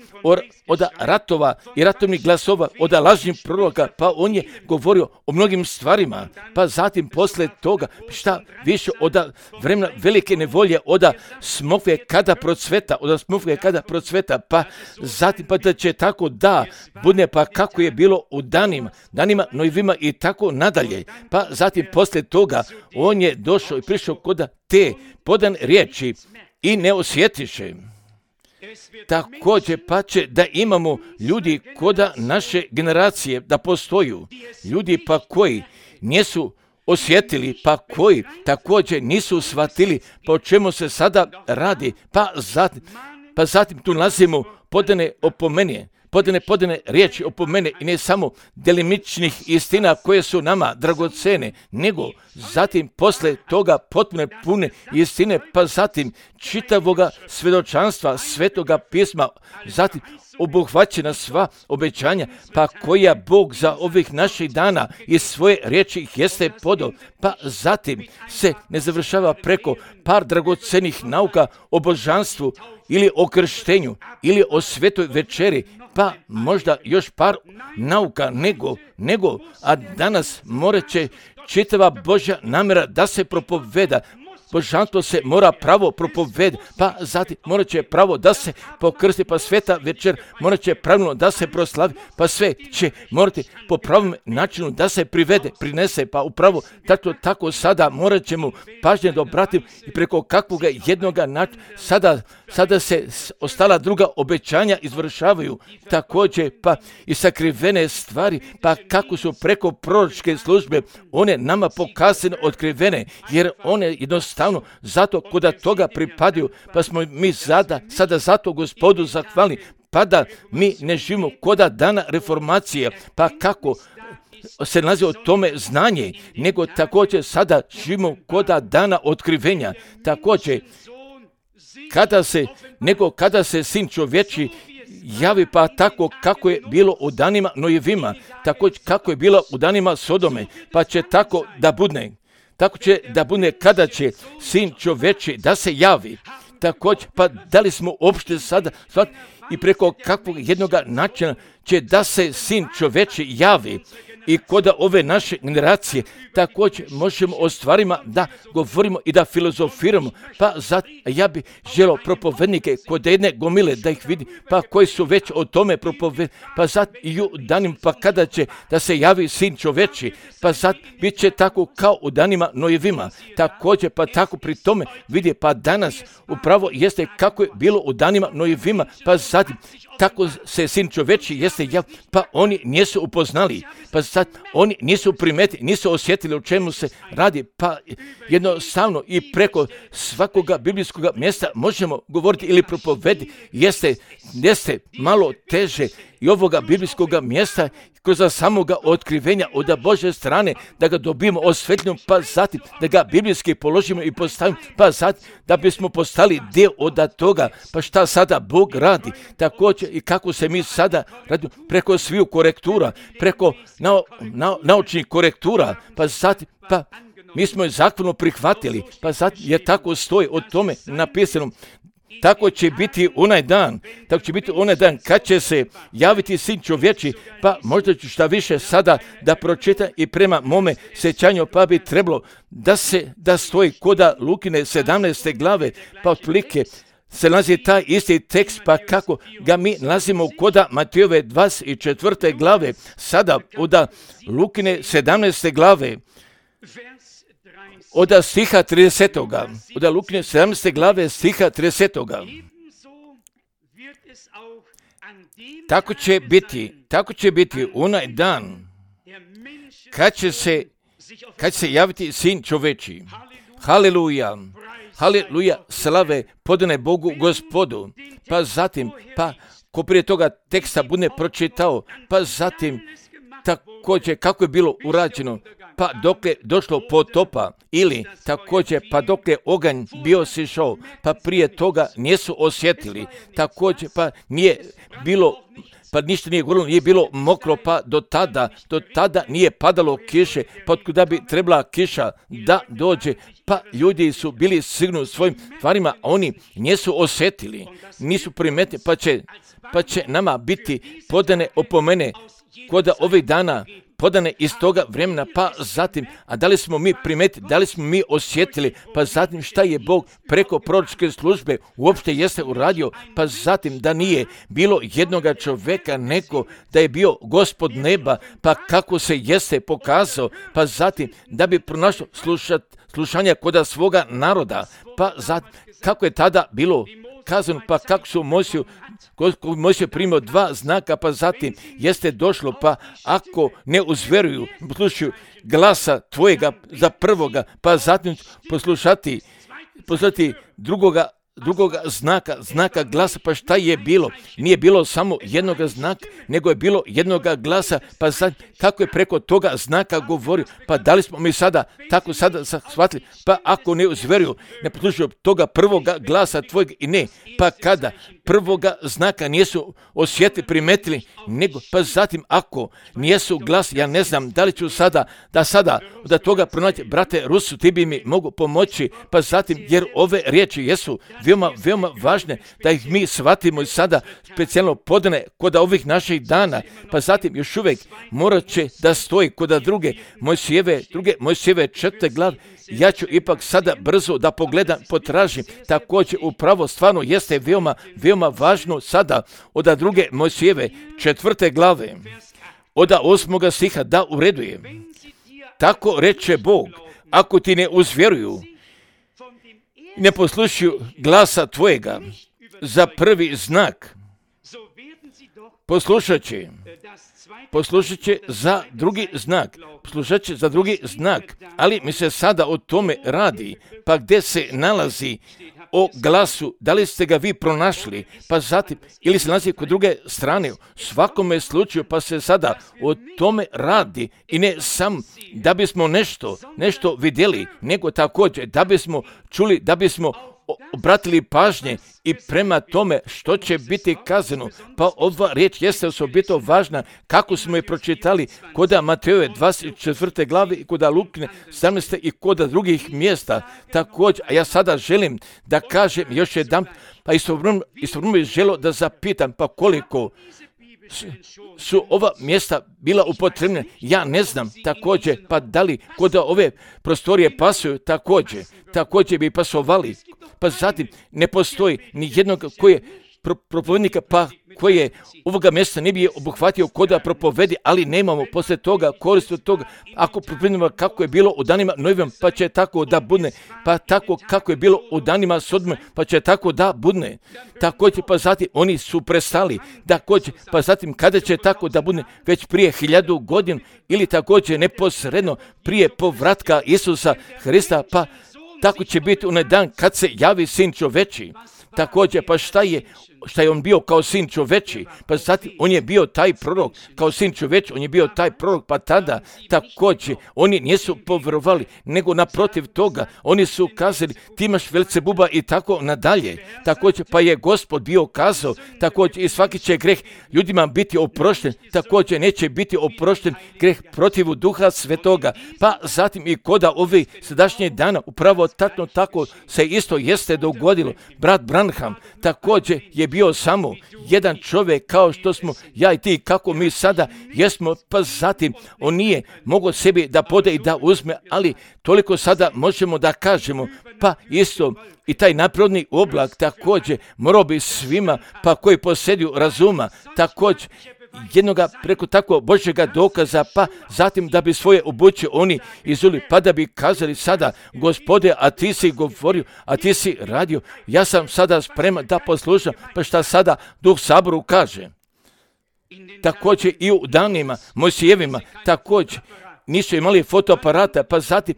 od ratova i ratovnih glasova, od lažnih proroka, pa on je govorio o mnogim stvarima, pa zatim posle toga, šta više od vremena velike nevolje, od smokve kada procveta, pa zatim pa da će tako da bude, pa kako je bilo u danima Nojevima i tako nadalje, pa zatim posle toga on je došao i prišao kod te podan riječi i ne osjetiše. Također pa će da imamo ljudi koda naše generacije da postoju, ljudi pa koji nisu osjetili, pa koji također nisu shvatili pa o čemu se sada radi, pa zatim tu nalazimo podane riječi opomene i ne samo delimičnih istina koje su nama dragocene, nego zatim posle toga potpuno pune istine, pa zatim čitavoga svjedočanstva Svetoga pisma, zatim obuhvaćena sva obećanja, pa koja Bog za ovih naših dana iz svoje riječi jeste podao, pa zatim se ne završava preko par dragocenih nauka o božanstvu ili o krštenju ili o svetoj večeri, pa možda još par nauka nego, a danas moraće čitava Božja namjera da se propoveda. Božanstvo se mora pravo propovedi, pa zatim morat će pravo da se pokrsti, pa sveta večer morat će pravilno da se proslavi, pa sve će morati po pravom načinu da se prinese, pa upravo tako sada morat ćemo pažnje da obratimo i preko kakvoga jednoga načina sada se ostala druga obećanja izvršavaju, također pa i sakrivene stvari, pa kako su preko proročke službe one nama pokazane otkrivene, jer one jednostavno zato koda toga pripadaju, pa smo mi sada zato Gospodu zahvalni, pa da mi ne živimo koda dana reformacije, pa kako se nalazi o tome znanje, nego također sada živimo koda dana otkrivenja, također kada se Sin čovječi javi, pa tako kako je bilo u danima Nojevima, također kako je bilo u danima Sodome, pa će tako da bude. Tako će da bude kada će Sin čovječi da se javi. Također, pa da li smo uopšte sada i preko kakvog jednoga načina će da se Sin čovječi javi i kod ove naše generacije, također možemo o stvarima da govorimo i da filozofiramo, pa ja bih želio propovednike kod jedne gomile da ih vidi, pa koji su već o tome propovedni, pa i u danima, pa kada će da se javi Sin čovječi, pa bit će tako kao u danima Nojevima, također pa tako pri tome vidi, pa danas upravo jeste kako je bilo u danima Nojevima, pa zatim tako se Sin čovječi jeste javio, pa oni nisu upoznali, pa sad oni nisu primetili, nisu osjetili o čemu se radi, pa jednostavno i preko svakoga biblijskog mjesta možemo govoriti ili propovedi, jeste malo teže i ovoga biblijskog mjesta kroz samoga otkrivenja od Božje strane, da ga dobijemo osvetljeno, pa zatim da ga biblijski položimo i postavimo, pa zatim da bismo postali dio od toga, pa šta sada Bog radi, također i kako se mi sada radimo preko sviju korektura, preko naučnih korektura, pa zatim, pa mi smo je zakonu prihvatili, pa zatim je tako stoji o tome napisano. Tako će biti onaj dan kad će se javiti Sin čovječi, pa možda ću šta više sada da pročitam i prema mome sjećanju, pa bi trebalo da stoji koda Lukine 17. glave, pa otprilike se nalazi taj isti tekst, pa kako ga mi nalazimo koda Matejove 24. glave, sada od Lukine 17. glave, od stiha 30. Od Lukine 17. glave stiha 30. Tako će biti onaj dan kad će se kad se javiti sin čoveči. Haleluja, haleluja, slave podane Bogu Gospodu. Pa zatim, ko prije toga teksta bude pročitao, pa zatim također kako je bilo urađeno, pa dok je došlo potopa, ili također pa dok je oganj bio sišao, pa prije toga nisu osjetili, također pa nije bilo, pa ništa nije gorilo, nije bilo mokro, pa do tada nije padalo kiše, pa otkuda bi trebala kiša da dođe, pa ljudi su bili sigurni u svojim stvarima, a oni nisu osjetili, nisu primetili, pa će nama biti podane opomene kod ovih dana, podane iz toga vremena, pa zatim, a da li smo mi primetili, da li smo mi osjetili, pa zatim šta je Bog preko proročke službe uopšte jeste uradio, pa zatim da nije bilo jednoga čovjeka, nego da je bio Gospod neba, pa kako se jeste pokazao, pa zatim da bi pronašao slušanja kod svoga naroda, pa zatim kako je tada bilo kazano, pa kako su Mojsije primio 2 znaka, pa zatim jeste došlo, pa ako ne uzveruju, poslušaju glasa tvojega za prvoga, pa zatim poslušati drugoga znaka glasa, pa šta je bilo? Nije bilo samo jednoga znaka, nego je bilo jednoga glasa, pa zatim kako je preko toga znaka govorio, pa da li smo mi sada shvatili, pa ako ne uzveruju, ne poslušaju toga prvoga glasa tvojeg i ne, pa kada prvoga znaka nisu osjetili, primetili, nego pa zatim ako nijesu glas, ja ne znam da li ću sada da toga pronaći, brate Rusu, ti bi mi mogu pomoći, pa zatim jer ove riječi jesu veoma važne, da ih mi shvatimo i sada specijalno podane kod ovih naših dana, pa zatim još uvijek morat će da stoji kod druge Mojsijeve 4. glave. Ja ću ipak sada brzo da pogledam, potražim, također upravo stvarno jeste veoma važno sada od druge Mojsijeve 4. glave, od 8. stiha da ureduje. Tako reče Bog, ako ti ne uzvjeruju, ne poslušaju glasa tvojega za prvi znak, poslušat će za drugi znak, ali mi se sada o tome radi, pa gdje se nalazi o glasu, da li ste ga vi pronašli, pa zatim, ili se nalazi kod druge strane, u svakome slučaju, pa se sada o tome radi i ne sam da bismo nešto vidjeli, nego također da bismo čuli, da bismo obratili pažnje i prema tome što će biti kazano. Pa ova riječ jeste osobito važna kako smo je pročitali kod Matejove 24. glave i kod Lukine 17. i kod drugih mjesta. Također, a ja sada želim da kažem još jedan, pa istovremeno bih želio da zapitam, pa koliko su ova mjesta bila upotrebljena, ja ne znam, također, pa da li kod ove prostorije pasuju, također bi pasovali, pa zatim ne postoji ni jednog koji je propovednika, pa koji je ovoga mjesta ne bi je obuhvatio kod propovedi, ali nemamo poslije toga koristi od toga, ako propovedimo kako je bilo u danima Noevim, pa će tako da budne, pa tako kako je bilo u danima Sodome, pa će tako da budne. Također, pa zatim oni su prestali, također, pa zatim kada će tako da budne, već prije 1000 godina, ili također neposredno prije povratka Isusa Hrista, pa tako će biti onaj dan kad se javi sin čoveči. Također, pa šta je on bio kao sin čoveči, pa zatim on je bio taj prorok, kao sin čoveči, on je bio taj prorok, pa tada također oni nisu povjerovali, nego naprotiv toga, oni su kazali ti imaš Velcebuba i tako nadalje. Također, pa je Gospod bio kazao, također i svaki će greh ljudima biti oprošten, također neće biti oprošten greh protiv Duha Svetoga, pa zatim i koda ovih sadašnjih dana, upravo tako se isto jeste dogodilo. Brat Branham također je bio samo jedan čovjek kao što smo ja i ti, kako mi sada jesmo, pa zatim on nije mogao sebi da pode i da uzme, ali toliko sada možemo da kažemo, pa isto i taj naprodni oblak također morao bi svima, pa koji posjeduju razuma, također jednoga preko tako Božjega dokaza, pa zatim da bi svoje obuće oni izuli, pa da bi kazali sada, Gospode, a ti si govorio, a ti si radio, ja sam sada spreman da poslušam, pa šta sada Duh Saboru kaže. Također i u danima Mojsijevima, također nisu imali fotoaparata, pa zatim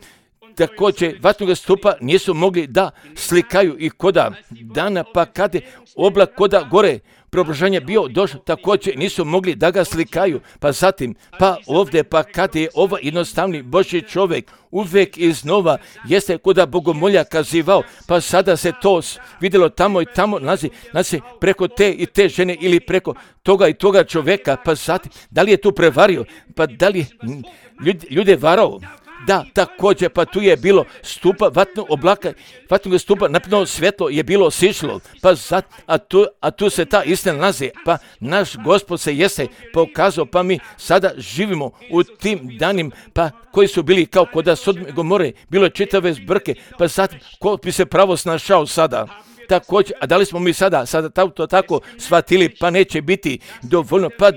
također vatnog stupa nisu mogli da slikaju i koda dana, pa kad je oblak koda gore preobraženje bio došao, također nisu mogli da ga slikaju, pa zatim, pa ovdje, pa kad je ovaj jednostavni Božji čovjek uvijek iznova jeste koda bogomolja kazivao, pa sada se to vidjelo tamo i tamo nalazi preko te i te žene ili preko toga i toga čovjeka, pa zatim, da li je tu prevario, pa da li ljude varao? Da, također, pa tu je bilo stupa vatnog oblaka, vatnog stupa, napredno svjetlo je bilo sišlo, pa a tu se ta istina nalazi, pa naš Gospod se jeste pokazao, pa mi sada živimo u tim danim, pa koji su bili kao kod Sodome i Gomore, bilo je čitave zbrke, pa sad ko bi se pravo snašao sada? Također, a da li smo mi sada to tako shvatili, pa neće biti dovoljno, pa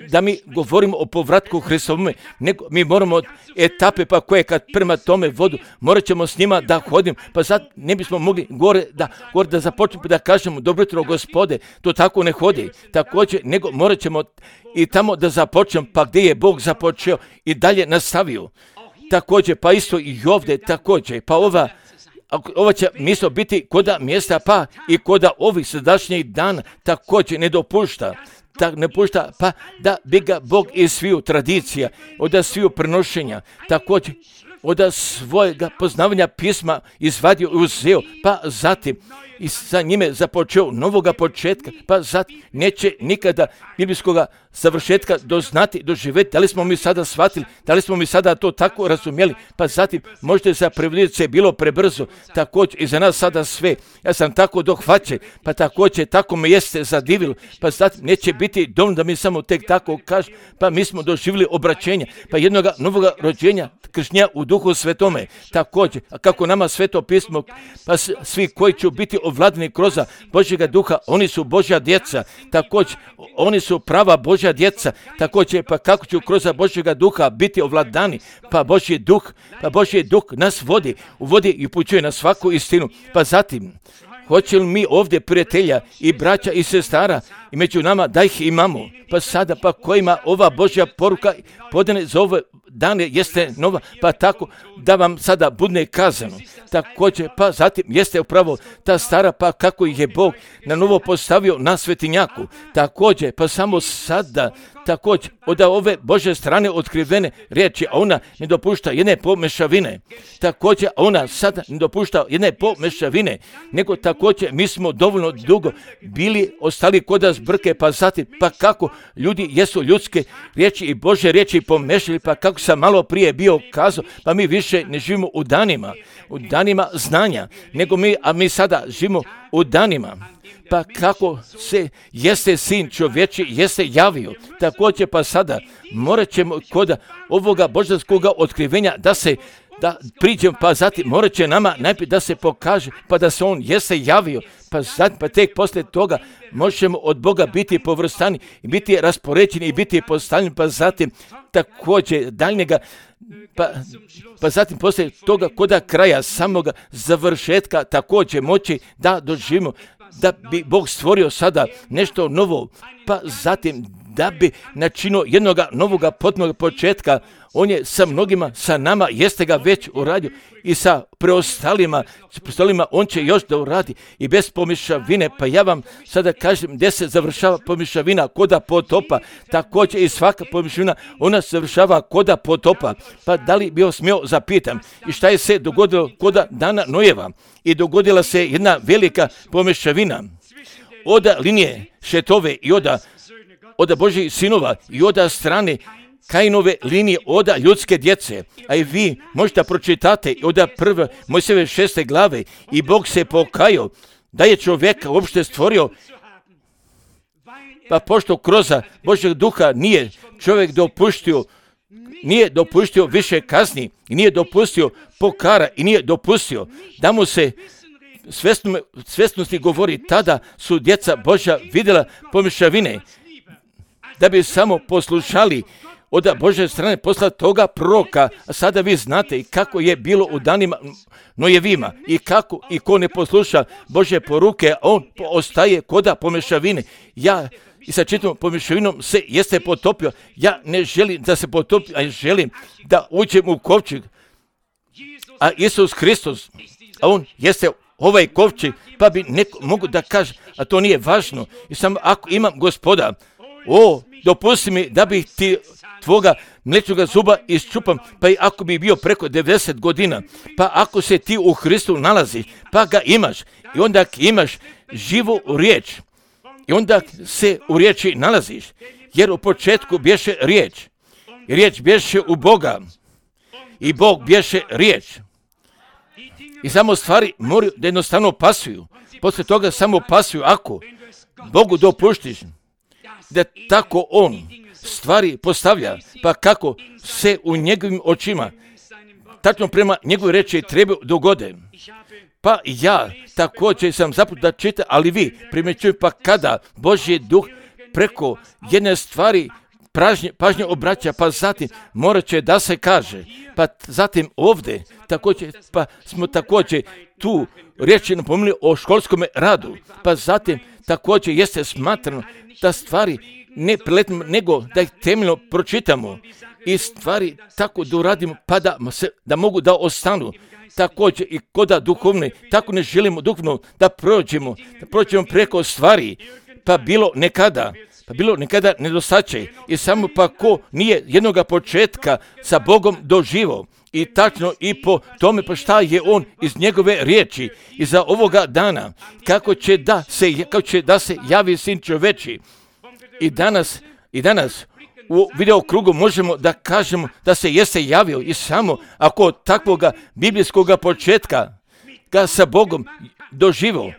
da mi govorimo o povratku Hristovome, nego mi moramo etape, pa koje kad prema tome vodu, morat ćemo s njima da hodimo, pa sad ne bismo mogli gore da započnemo da kažemo dobro jutro Gospode, to tako ne hodi, također, nego morat ćemo i tamo da započnemo, pa gdje je Bog započeo i dalje nastavio. Također, pa isto i ovdje, također, pa ova će mjesto biti koda mjesta, pa i koda ovih sadašnjih dana također ne dopušta, pa da bi ga Bog iz sviju tradicija, od sviju prenošenja, također od svojega poznavanja pisma izvadio i uzeo, pa zatim i sa njime započeo novoga početka, pa zatim neće nikada biblijskoga završetka doživjeti. Da li smo mi sada shvatili, da li smo mi sada to tako razumjeli, pa zatim možda za prevodioce bilo prebrzo, također i za nas sada sve. Ja sam tako dohvaćen, pa također tako me jeste zadivilo, pa zatim neće biti dovoljno da mi samo tek tako kažem, pa mi smo doživjeli obraćenja, pa jednoga novoga rođenja, kršnja u Duhu Svetome, također, a kako nama Sveto pismo, pa svi koji će biti ovladani kroz Božjega Duha, oni su Božja djeca, također, oni su prava Božja djeca, također, pa kako ću kroz Božjega Duha biti ovladani, pa Božji Duh nas uvodi i upućuje na svaku istinu, pa zatim, hoće li mi ovdje prijatelja i braća i sestara i među nama da ih imamo, pa sada pa kojima ova Božja poruka podane za ove dane jeste nova, pa tako da vam sada bude kazano. Također, pa zatim jeste upravo ta stara, pa kako ih je Bog na novo postavio na svetinjaku. Također, pa samo sada, također, od ove Božje strane otkrivene riječi, a ona ne dopušta jedne pomešavine. Također, a ona sada ne dopušta jedne pomešavine, nego također mi smo dovoljno dugo bili ostali kod zbrke, pa zatim, pa kako ljudi jesu ljudske riječi i Božje riječi pomešali, pa kako sam malo prije bio kazao, pa mi više ne živimo u danima znanja, nego mi sada živimo u danima. Pa kako se jeste sin čovječi jeste javio, također pa sada morat ćemo kod ovoga božanskoga otkrivenja da priđemo, pa zatim morat će nama najprije da se pokaže, pa da se on jeste javio, pa zatim, pa tek poslije toga možemo od Boga biti povrstani, biti raspoređeni i biti postavljeni, pa zatim također daljnjega, pa zatim poslije toga koda kraja samoga završetka također moći da doživimo, da bi Bog stvorio sada nešto novo, pa zatim da bi načinio jednoga novoga potpunog početka. On je sa mnogima, sa nama, jeste ga već uradio i sa preostalima on će još da uradi i bez pomješavine. Pa ja vam sada kažem gdje se završava pomješavina koda potopa, također i svaka pomješavina ona se završava koda potopa. Pa da li bi smio zapitam i šta je se dogodilo koda dana Nojeva i dogodila se jedna velika pomješavina od linije Šetove i od Božjih sinova i od strane Kainove linije od ljudske djece, a i vi možete pročitate od prve Mojsijeve 6. glave i Bog se pokajao da je čovjeka uopšte stvorio, pa pošto kroz Božjeg duha nije čovjek nije dopustio više kazni i nije dopustio pokara i nije dopustio da mu se svjesnosti govori, tada su djeca Božja vidjela pomješavine, da bi samo poslušali od Božje strane posla toga proroka. A sada vi znate i kako je bilo u danima Nojevima i kako i ko ne posluša Božje poruke, on ostaje koda pomješavine. i sa čitavom pomješavinom se jeste potopio. Ja ne želim da se potopi, a želim da uđem u kovčeg. A Isus Hristos, a on jeste ovaj kovčeg, pa bi neko mogu da kaže, a to nije važno. I samo ako imam Gospoda, dopusti mi da bih ti tvoga mlečnoga zuba iščupam, pa i ako bi bio preko 90 godina, pa ako se ti u Hristu nalaziš, pa ga imaš, i onda imaš živu riječ, i onda se u riječi nalaziš, jer u početku bješe riječ, i riječ bješe u Boga, i Bog bješe riječ. I samo stvari moraju da jednostavno pasuju. Poslije toga samo pasuju ako Bogu dopuštiš da tako on stvari postavlja, pa kako se u njegovim očima tačno prema njegove reči treba dogode. Pa ja također sam zaput da čitam, ali vi primjećujem, pa kada Božji duh preko jedne stvari pažnje obraća, pa zatim morat će da se kaže, pa zatim ovdje također, pa smo također tu riječi napomenuli o školskom radu, pa zatim također jeste smatrano da stvari ne preletimo, nego da ih temeljno pročitamo i stvari tako da uradimo, pa da mogu da ostanu. Također i koda duhovne, tako ne želimo duhovno da prođemo preko stvari, pa bilo nekada nedostaće i samo pa ko nije jednoga početka sa Bogom doživo i tačno i po tome pa šta je on iz njegove riječi i za ovoga dana, kako će da se javi Sin čoveči. I danas u video krugu možemo da kažemo da se jeste javio i samo ako od takvoga biblijskog početka ga sa Bogom doživio,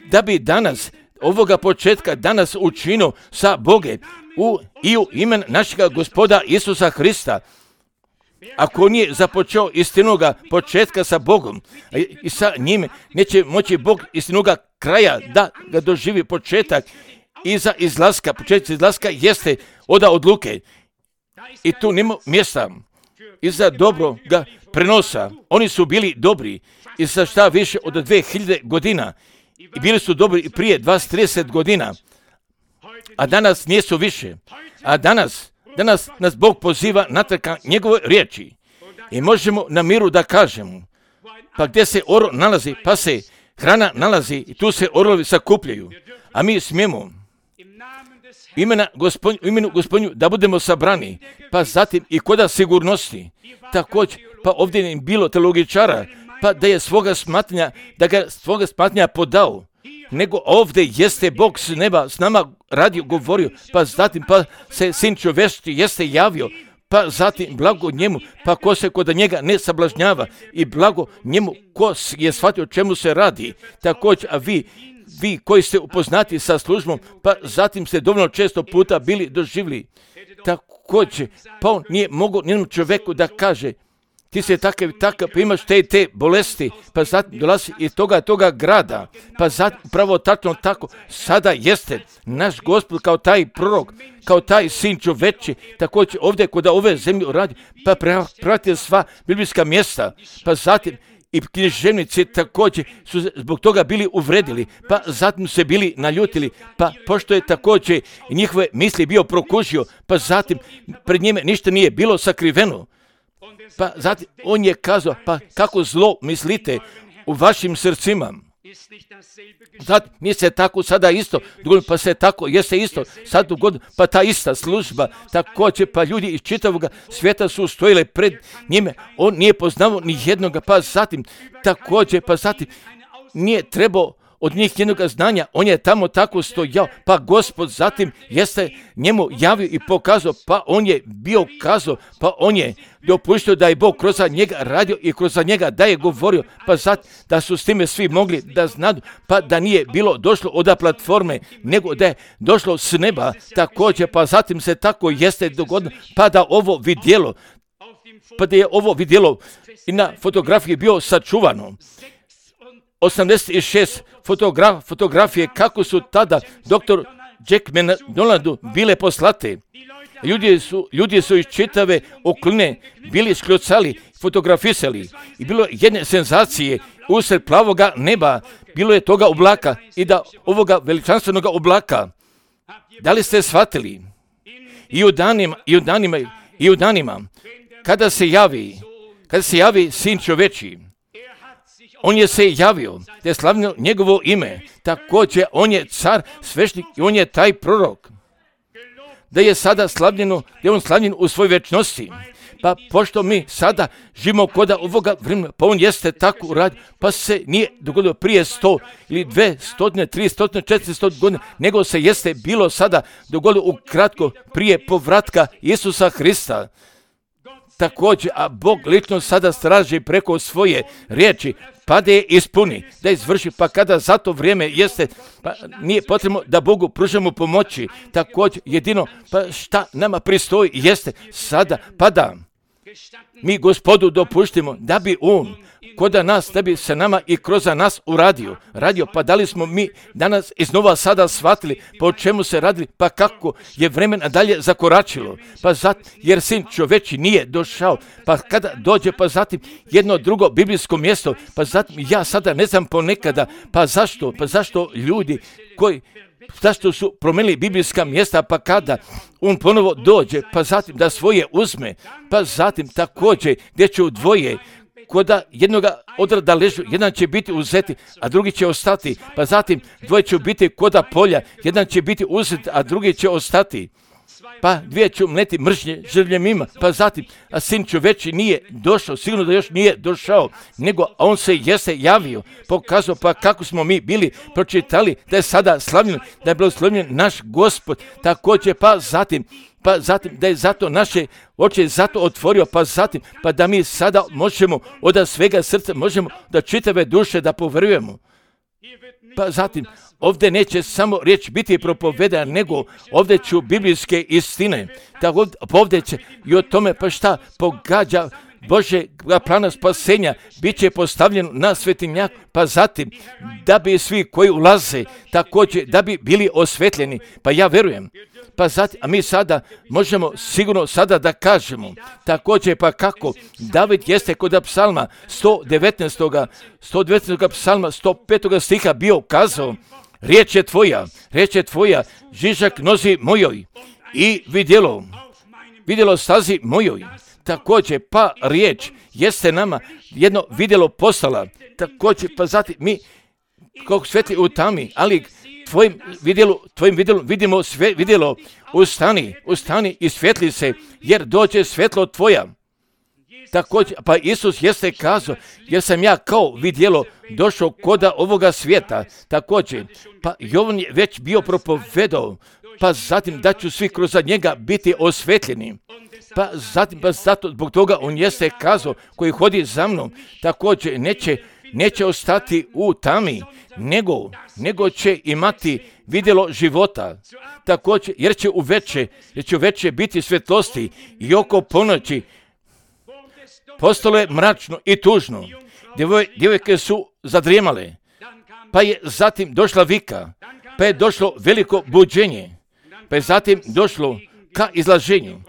da bi danas ovoga početka danas učinio sa Boge i u ime našega Gospoda Isusa Hrista. Ako nije započeo istinoga početka sa Bogom i sa njime, neće moći Bog istinoga kraja da ga doživi početak iza izlaska. Početak izlaska jeste oda odluke i tu nema mjesta iza dobroga prenosa. Oni su bili dobri i za šta više od 2000 godina i bili su dobri i prije 20-30 godina, a danas nisu više. A danas nas Bog poziva natrag njegove riječi i možemo na miru da kažemo, pa gdje se oro nalazi, pa se hrana nalazi i tu se orlovi sakupljaju, a mi smijemo u imenu Gospodnju da budemo sabrani, pa zatim i koda sigurnosti. Također, pa ovdje nije bilo teologičara, pa da je svoga smatnja podao, nego ovdje jeste Bog s neba s nama radio, govorio, pa zatim pa se Sin čovječki jeste javio, pa zatim blago njemu, pa ko se kod njega ne sablažnjava i blago njemu ko je shvatio o čemu se radi. Također, a vi koji ste upoznati sa službom, pa zatim ste dovoljno često puta bili doživjeli. Također, pa on nije mogao nijednom čovjeku da kaže, ti si takav, pa imaš te bolesti, pa zatim dolazi iz toga grada, pa zatim upravo tačno tako, sada jeste naš Gospod kao taj prorok, kao taj Sin čoveči, također ovdje kod ove zemlje radi, pa pratite sva biblijska mjesta, pa zatim i književnici također su zbog toga bili uvredili, pa zatim se bili naljutili, pa pošto je također njihove misli bio prokužio, pa zatim pred njime ništa nije bilo sakriveno. Pa zatim on je kazao, pa kako zlo mislite u vašim srcima. Zatim mi se tako sada isto dogodilo, pa se tako jeste isto sad dogodilo, pa ta ista služba također, pa ljudi iz čitavog svijeta su stojile pred njime, on nije poznavao ni jednoga, pa zatim također, pa zatim nije trebao od njih jednog znanja, on je tamo tako stojao, pa Gospod zatim jeste njemu javio i pokazao, pa on je bio kazao, pa on je dopustio da je Bog kroz njega radio i kroz njega da je govorio, pa zatim da su s time svi mogli da znadu, pa da nije bilo došlo od platforme, nego da je došlo s neba također, pa zatim se tako jeste dogodilo, pa da ovo vidjelo, pa da je ovo vidjelo i na fotografiji bio sačuvano. 86 fotografije kako su tada dr. Jack McDonaldu bile poslate. Ljudi su iz čitave okoline bili škljucali, fotografisali i bilo jedne senzacije usred plavoga neba, bilo je toga oblaka i da ovoga veličanstvenog oblaka Da li ste shvatili? I u danima, kada se javi Sin čovječji, on je se javio, te je slavno njegovo ime. Također, on je car, svešnik i on je taj prorok. Da je sada slavljeno, da je on slavljen u svojoj večnosti. Pa pošto mi sada živimo kod ovoga vremena, pa on jeste tako uradio, pa se nije dogodilo prije 100 ili 200, 300, 400 godina, nego se jeste bilo sada dogodilo ukratko prije povratka Isusa Hrista. Također, a Bog lično sada straži preko svoje riječi, pa da je ispuni, da izvrši, pa kada za to vrijeme jeste, pa nije potrebno da Bogu pružamo pomoći. Također, jedino, pa šta nama pristoji jeste sada, pa da mi Gospodu dopuštimo da bi on kod nas, da bi se nama i kroz nas radio, pa da li smo mi danas iznova sada shvatili po čemu se radili, pa kako je vremena dalje zakoračilo, pa jer Sin čovječji nije došao, pa kada dođe, pa zatim jedno drugo biblijsko mjesto, pa zatim ja sada ne znam ponekada, pa zašto ljudi zašto su promijenili biblijska mjesta, pa kada on ponovo dođe, pa zatim da svoje uzme, pa zatim također gdje će u dvoje, koda jednoga odrada ležu, jedan će biti uzeti, a drugi će ostati, pa zatim dvoje će biti koda polja, jedan će biti uzet, a drugi će ostati. Pa dvije će umleti mržnje žrvljemima, pa zatim, a Sin čovječji nije došao, sigurno da još nije došao, nego on se jeste javio, pokazao, pa kako smo mi bili pročitali da je sada slavljen, da je blagoslovljen naš Gospod, također, pa zatim da je zato naše oči zato otvorio, pa zatim, pa da mi sada možemo od svega srca, možemo da čitave duše da poverujemo. Pa zatim, ovdje neće samo riječ biti propovedana, nego ovdje ću biblijske istine. Tako ovdje će i o tome pa šta pogađa Božjega plana spasenja, bit će postavljen na svetinjak, pa zatim da bi svi koji ulaze također da bi bili osvetljeni. Pa ja verujem. Pa zatim, a mi sada možemo sigurno sada da kažemo također pa kako David jeste kod psalma 119. psalma 105. stiha bio kazao: riječ je tvoja, žižak nozi mojoj i vidjelo stazi mojoj. Također, pa riječ jeste nama jedno vidjelo postala. Također, pa zatim mi kao svetli u tami, ali tvojim vidjelom vidimo sve vidjelo. Ustani i svetli se, jer dođe svetlo tvoja. Također, pa Isus jeste kazao, jer sam ja kao vidjelo došao koda ovoga svijeta. Također, pa Jovan je već bio propovedao, pa zatim da ću svi kroz njega biti osvetljeni. Pa zato zbog toga on jeste kazao, koji hodi za mnom, također neće ostati u tami, nego će imati vidjelo života. Također, jer će uveče biti svjetlosti i oko ponoći postalo je mračno i tužno. Djevojke su zadrijemale, pa je zatim došla vika, pa je došlo veliko buđenje, pa je zatim došlo ka izlaženju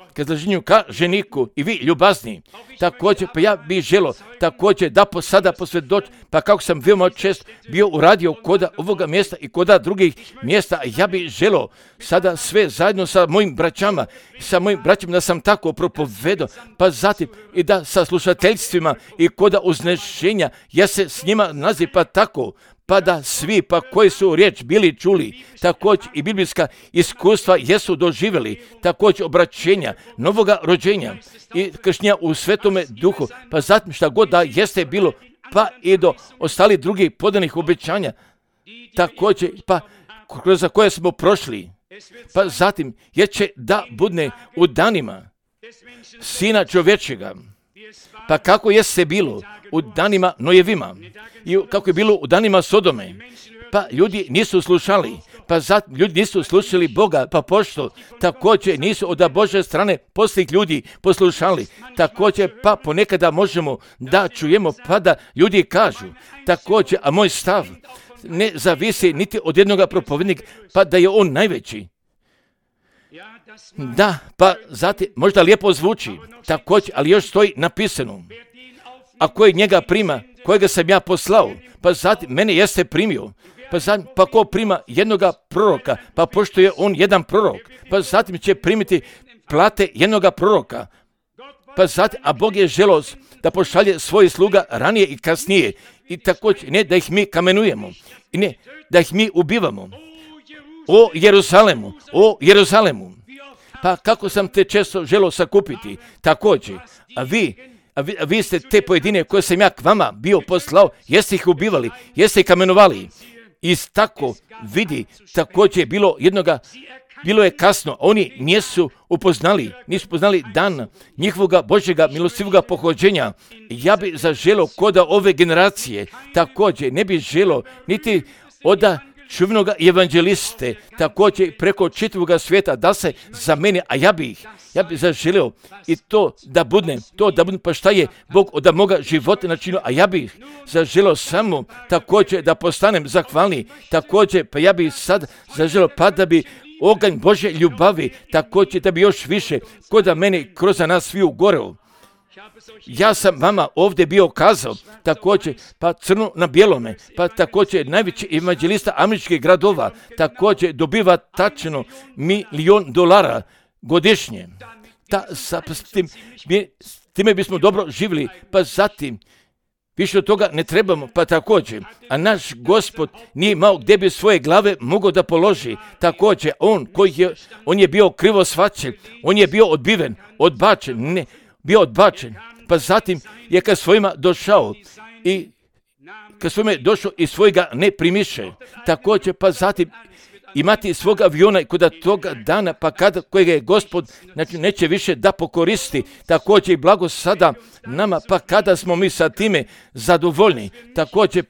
ka ženiku i vi ljubazni. Također, pa ja bih želio također da sada posvjedočim, pa kako sam veoma često bio uradio koda ovoga mjesta i koda drugih mjesta, ja bih želio sada sve zajedno sa mojim braćama da sam tako propovedao, pa zatim i da sa slušateljstvima i koda uznešenja ja se s njima naziv pa tako, pa da svi pa koji su riječ bili čuli, također i biblijska iskustva jesu doživjeli, također obraćenja, novoga rođenja i krštenja u Svetome Duhu, pa zatim šta god da jeste bilo, pa i do ostalih drugih podanih obećanja, također pa kroz koje smo prošli, pa zatim jer će da budne u danima Sina čovječega. Pa kako jeste bilo u danima Nojevima i kako je bilo u danima Sodome, pa ljudi nisu slušali, pa zatim ljudi nisu slušali Boga, pa pošto također nisu od Božje strane poslih ljudi poslušali, također pa ponekada možemo da čujemo pa da ljudi kažu, također, a moj stav ne zavisi niti od jednog propovednika, pa da je on najveći. Da, pa zatim možda lijepo zvuči, također, ali još stoji napisano, a koji njega prima, kojega sam ja poslao, pa zatim mene jeste primio, pa zatim, pa ko prima jednoga proroka, pa pošto je on jedan prorok, pa zatim će primiti plate jednoga proroka, pa zatim, a Bog je želeo da pošalje svoje sluga ranije i kasnije, i također ne da ih mi kamenujemo, i ne da ih mi ubivamo. O Jeruzalemu, pa kako sam te često želio sakupiti, također, a vi ste te pojedine koje sam ja k vama bio poslao, jeste ih ubivali, jeste ih kamenovali. I tako vidi, također je bilo je kasno, oni nisu upoznali dan njihovoga Božjega milostivoga pohođenja. Ja bi zaželio koda ove generacije, također ne bi želio niti oda čuvenoga evanđeliste, također preko čitavoga svijeta da se za mene, a ja bi zaželio i to da budem, pa šta je Bog od moga života načinio, a ja bih zaželio samo također da postanem zahvalni, također pa ja bih sad zaželio pa da bi oganj Božje ljubavi, također da bi još više kod da mene kroz nas sviju goreo. Ja sam vama ovdje bio kazao, također, pa crno na bijelome, pa također najveći evanđelista američkih gradova, također dobiva tačno $1.000.000 godišnje. S time bismo dobro živjeli, pa zatim, više od toga ne trebamo, pa također, a naš Gospod nije imao gdje bi svoje glave mogao da položi, također, on je bio krivo shvaćen, on je bio odbačen, pa zatim je kad svojima došao i svojega ne primiše, također, pa zatim imati svog aviona i kod toga dana, pa kada kojega je Gospod neće više da pokoristi, također i blago sada nama, pa kada smo mi sa time zadovoljni, također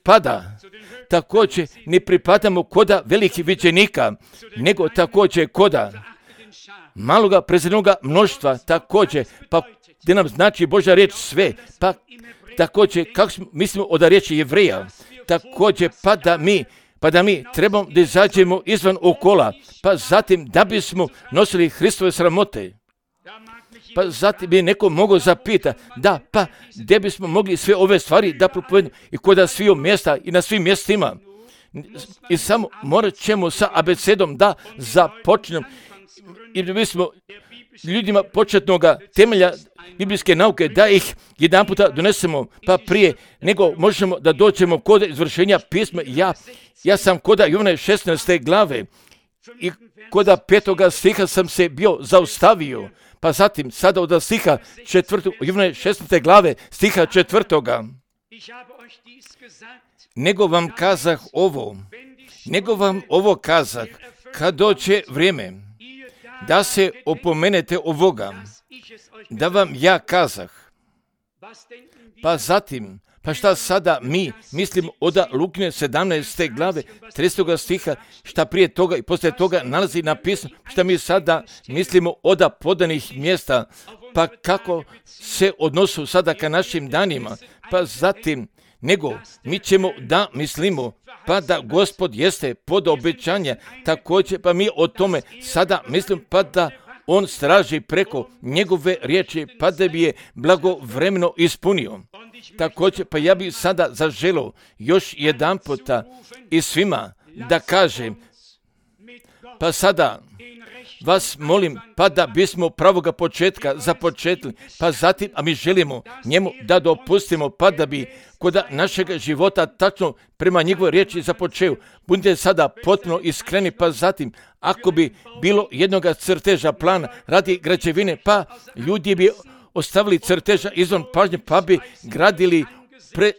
također ne pripadamo koda velikih viđenika, nego također koda maloga prezirnoga mnoštva, također, pa gdje nam znači Božja riječ sve, pa također kako mislimo od riječi Jevreja, također pa da mi trebamo da izađemo izvan okola, pa zatim da bismo nosili Hristove sramote. Pa zatim bi neko mogao zapitati, da, pa gdje bismo mogli sve ove stvari da propovedemo i kod svih mjesta i na svim mjestima. I samo morat ćemo sa abecedom da započnemo i da bismo ljudima početnoga temelja biblijske nauke, da ih jedan puta donesemo, pa prije nego možemo da dođemo kod izvršenja pisma. Ja sam kod Jovana 16. glave i kod 5. stiha sam se bio zaustavio, pa zatim sada od stiha 4. Jovana 16. glave stiha 4. Nego vam ovo kazah, kad dođe vrijeme da se opomenete ovoga, da vam ja kazah. Pa zatim, pa šta sada mi mislimo od Lukine 17. glave 30. stiha, šta prije toga i poslije toga nalazi napisano, šta mi sada mislimo od podanih mjesta, pa kako se odnosu sada ka našim danima, pa zatim, nego mi ćemo da mislimo, pa da Gospod jeste pod obećanje, također pa mi o tome sada mislim, pa da on straži preko njegove riječi, pa da bi je blagovremeno ispunio. Također, pa ja bih sada zaželio još jedan puta i svima da kažem, pa sada vas molim, pa da bismo pravoga početka započetli, pa zatim, a mi želimo njemu da dopustimo, pa da bi kod našeg života tačno prema njegovoj riječi započeo. Budite sada potpuno iskreni, pa zatim, ako bi bilo jednoga crteža plana radi građevine, pa ljudi bi ostavili crteža izvan pažnje, pa bi gradili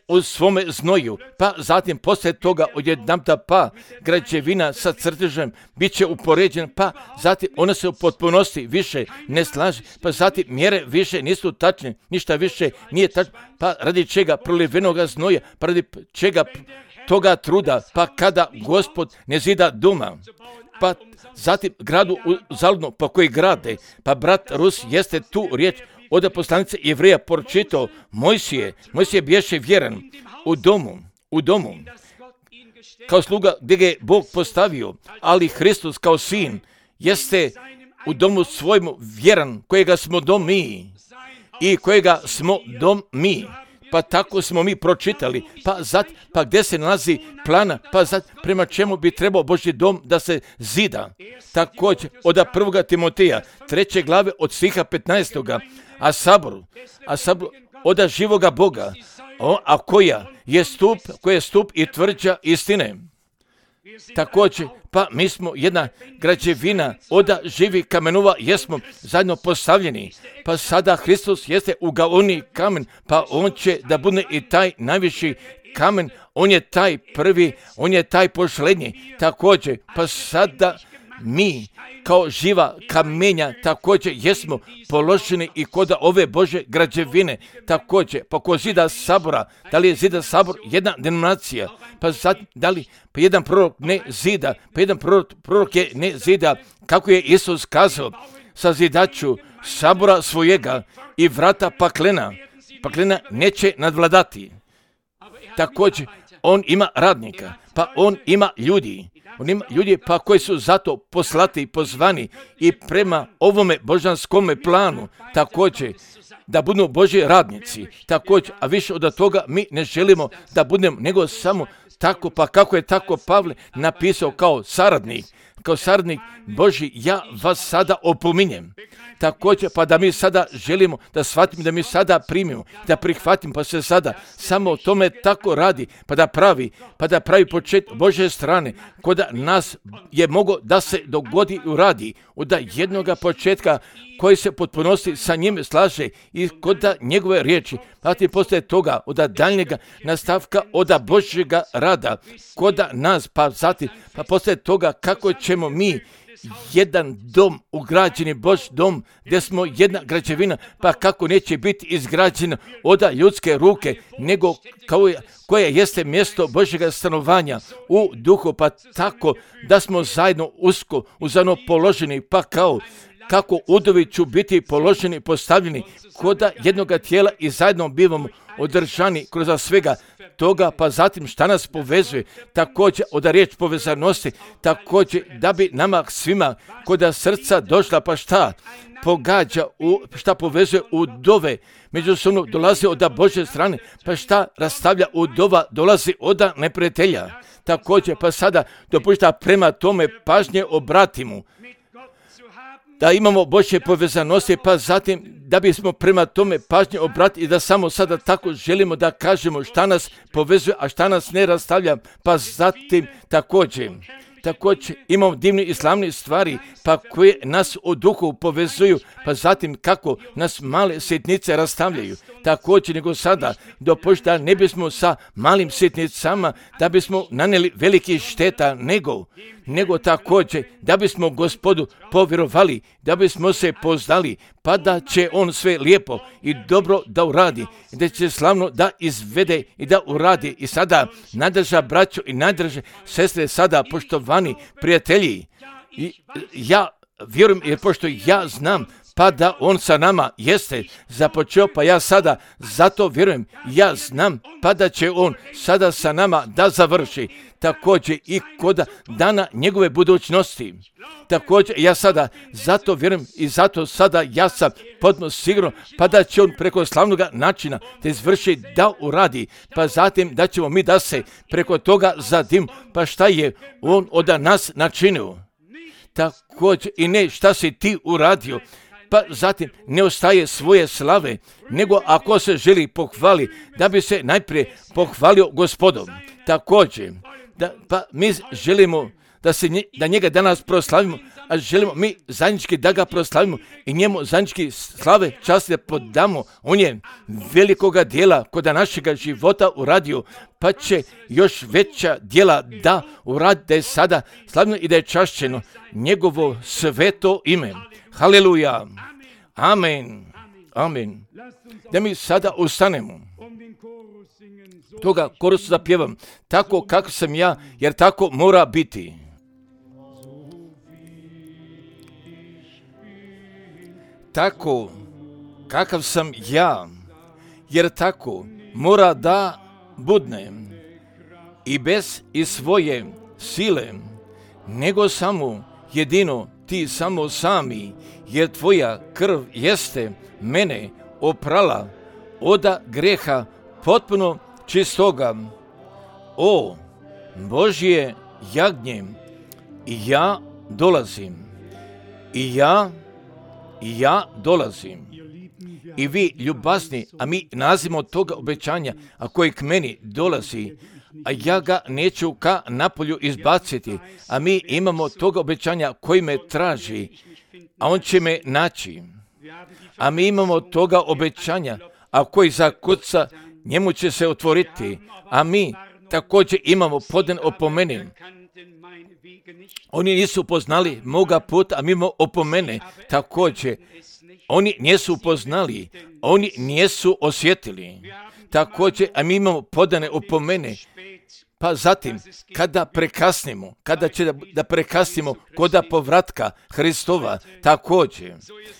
u svome znoju, pa zatim poslije toga odjedanputa pa građevina sa crtežem bit će upoređena, pa zatim ona se u potpunosti više ne slaže, pa zatim mjere više nisu tačne, ništa više nije tačno, pa radi čega prolivenoga znoja, pa radi čega toga truda, pa kada Gospod ne zida doma, pa zatim gradu zaludno, pa koji grade, pa brat Rus jeste tu riječ od poslanice Jevreja pročitao, Mojsije biješe vjeran u domu, kao sluga gdje ga je Bog postavio, ali Hristos kao sin jeste u domu svojemu vjeran, kojega smo dom mi i kojega smo dom mi. pa tako smo mi pročitali, pa gdje se nalazi plana, pa prema čemu bi trebao Božji dom da se zida. Također od 1. Timoteja 3. glave od stiha 15. A sabor od živoga Boga, a koja je stup i tvrđa istine. Također, pa mi smo jedna građevina od živih kamenova, jesmo zajedno postavljeni. Pa sada Hristos jeste ugaoni kamen, pa on će da bude i taj najviši kamen, on je taj prvi, on je taj posljednji. Također, pa sada mi kao živa kamenja također jesmo položeni i kod ove Bože građevine. Također, pa kod zida sabora, da li je zida sabor jedna denominacija, pa da li pa jedan prorok ne zida, pa jedan prorok je ne zida, kako je Isus kazao, sazidaću sabora svojega i vrata paklena neće nadvladati. Također, on ima radnika, pa on ima ljudi. On ima ljudi pa koji su zato poslati i pozvani i prema ovome božanskome planu također da budu Božji radnici. Također, a više od toga mi ne želimo da budemo nego samo tako, pa kako je tako Pavle napisao kao saradnik Božji, ja vas sada opominjem. Također, pa da mi sada želimo da shvatimo, da mi sada primimo, da prihvatimo, pa se sada samo o tome tako radi, pa da pravi počet Božje strane, kod nas je mogo da se dogodi i uradi od jednoga početka koji se potpunosti sa njim slaže i kod njegove riječi, pa ti poslije toga od daljnjega nastavka od Božjega rada kod nas, pa zatim, pa poslije toga kako ćemo mi jedan dom, ugrađeni Božji dom, gdje smo jedna građevina, pa kako neće biti izgrađena od ljudske ruke, nego koje jeste mjesto Božjega stanovanja u duhu, pa tako da smo zajedno usko, uzano položeni, pa kako udovi ću biti položeni, postavljeni kod jednoga tijela i zajedno bivamo održani kroz svega toga, pa zatim šta nas povezuje, također od riječ povezanosti, također da bi nama svima kod srca došla, pa šta pogađa, šta povezuje udove, međusobno dolazi od Božje strane, pa šta rastavlja udova, dolazi od neprijatelja. Također, pa sada dopušta prema tome pažnje obratimo, da imamo Božje povezanosti, pa zatim da bismo prema tome pažnje obratili i da samo sada tako želimo da kažemo šta nas povezuje, a šta nas ne rastavlja, pa zatim također imamo divne i slavne stvari, pa koje nas u duhu povezuju, pa zatim kako nas male sitnice rastavljaju. Također nego sada dopušta ne bismo sa malim sitnicama da bismo nanijeli veliki šteta, nego također da bismo Gospodu povjerovali, da bismo se poznali, pa da će on sve lijepo i dobro da uradi, da će slavno da izvede i da uradi. I sada najdrža braćo i najdrže sestre, sada poštovani prijatelji, ja vjerujem, jer pošto ja znam pa da on sa nama jeste započeo, pa ja sada zato vjerujem, ja znam pa da će on sada sa nama da završi, također i kod dana njegove budućnosti. Također ja sada zato vjerujem i zato sada ja sam potpuno siguran pa da će on preko slavnog načina da izvrši, da uradi, pa zatim da ćemo mi da se preko toga zadim, pa šta je on od nas načinio. Također i ne šta si ti uradio, pa zatim ne ostaje svoje slave, nego ako se želi pohvali, da bi se najprije pohvalio Gospodom. Također, pa mi želimo da njega danas proslavimo, a želimo mi zajednički da ga proslavimo i njemu zajednički slave časti da podamo. On je velikoga dijela kod našega života uradio, pa će još veća dijela da uradi, da je sada slavno i da je čašćeno njegovo sveto ime. Haleluja. Amen. Amen. Da mi sada ustanemo. Toga korusu zapjevam. Tako kako sam ja, jer tako mora biti. Tako kakav sam ja, jer tako mora da budne. I bez i svoje sile, nego samo jedino ti samo sami, jer tvoja krv jeste mene oprala od greha potpuno čistoga. O Božje jagnje, i ja dolazim, i ja dolazim. I vi ljubazni, a mi nazivamo toga obećanja, a koji k meni dolazi, a ja ga neću ka napolju izbaciti, a mi imamo toga obećanja koji me traži, a on će me naći. A mi imamo toga obećanja, a koji zakuca, njemu će se otvoriti, a mi također imamo podan opomene. Oni nisu poznali moga puta, a mi imamo opomene također. Oni nisu upoznali, oni nisu osjetili. Također, a mi imamo podane opomene. Pa zatim, kada prekasnimo, kada će da prekasnimo koda povratka Hristova, također,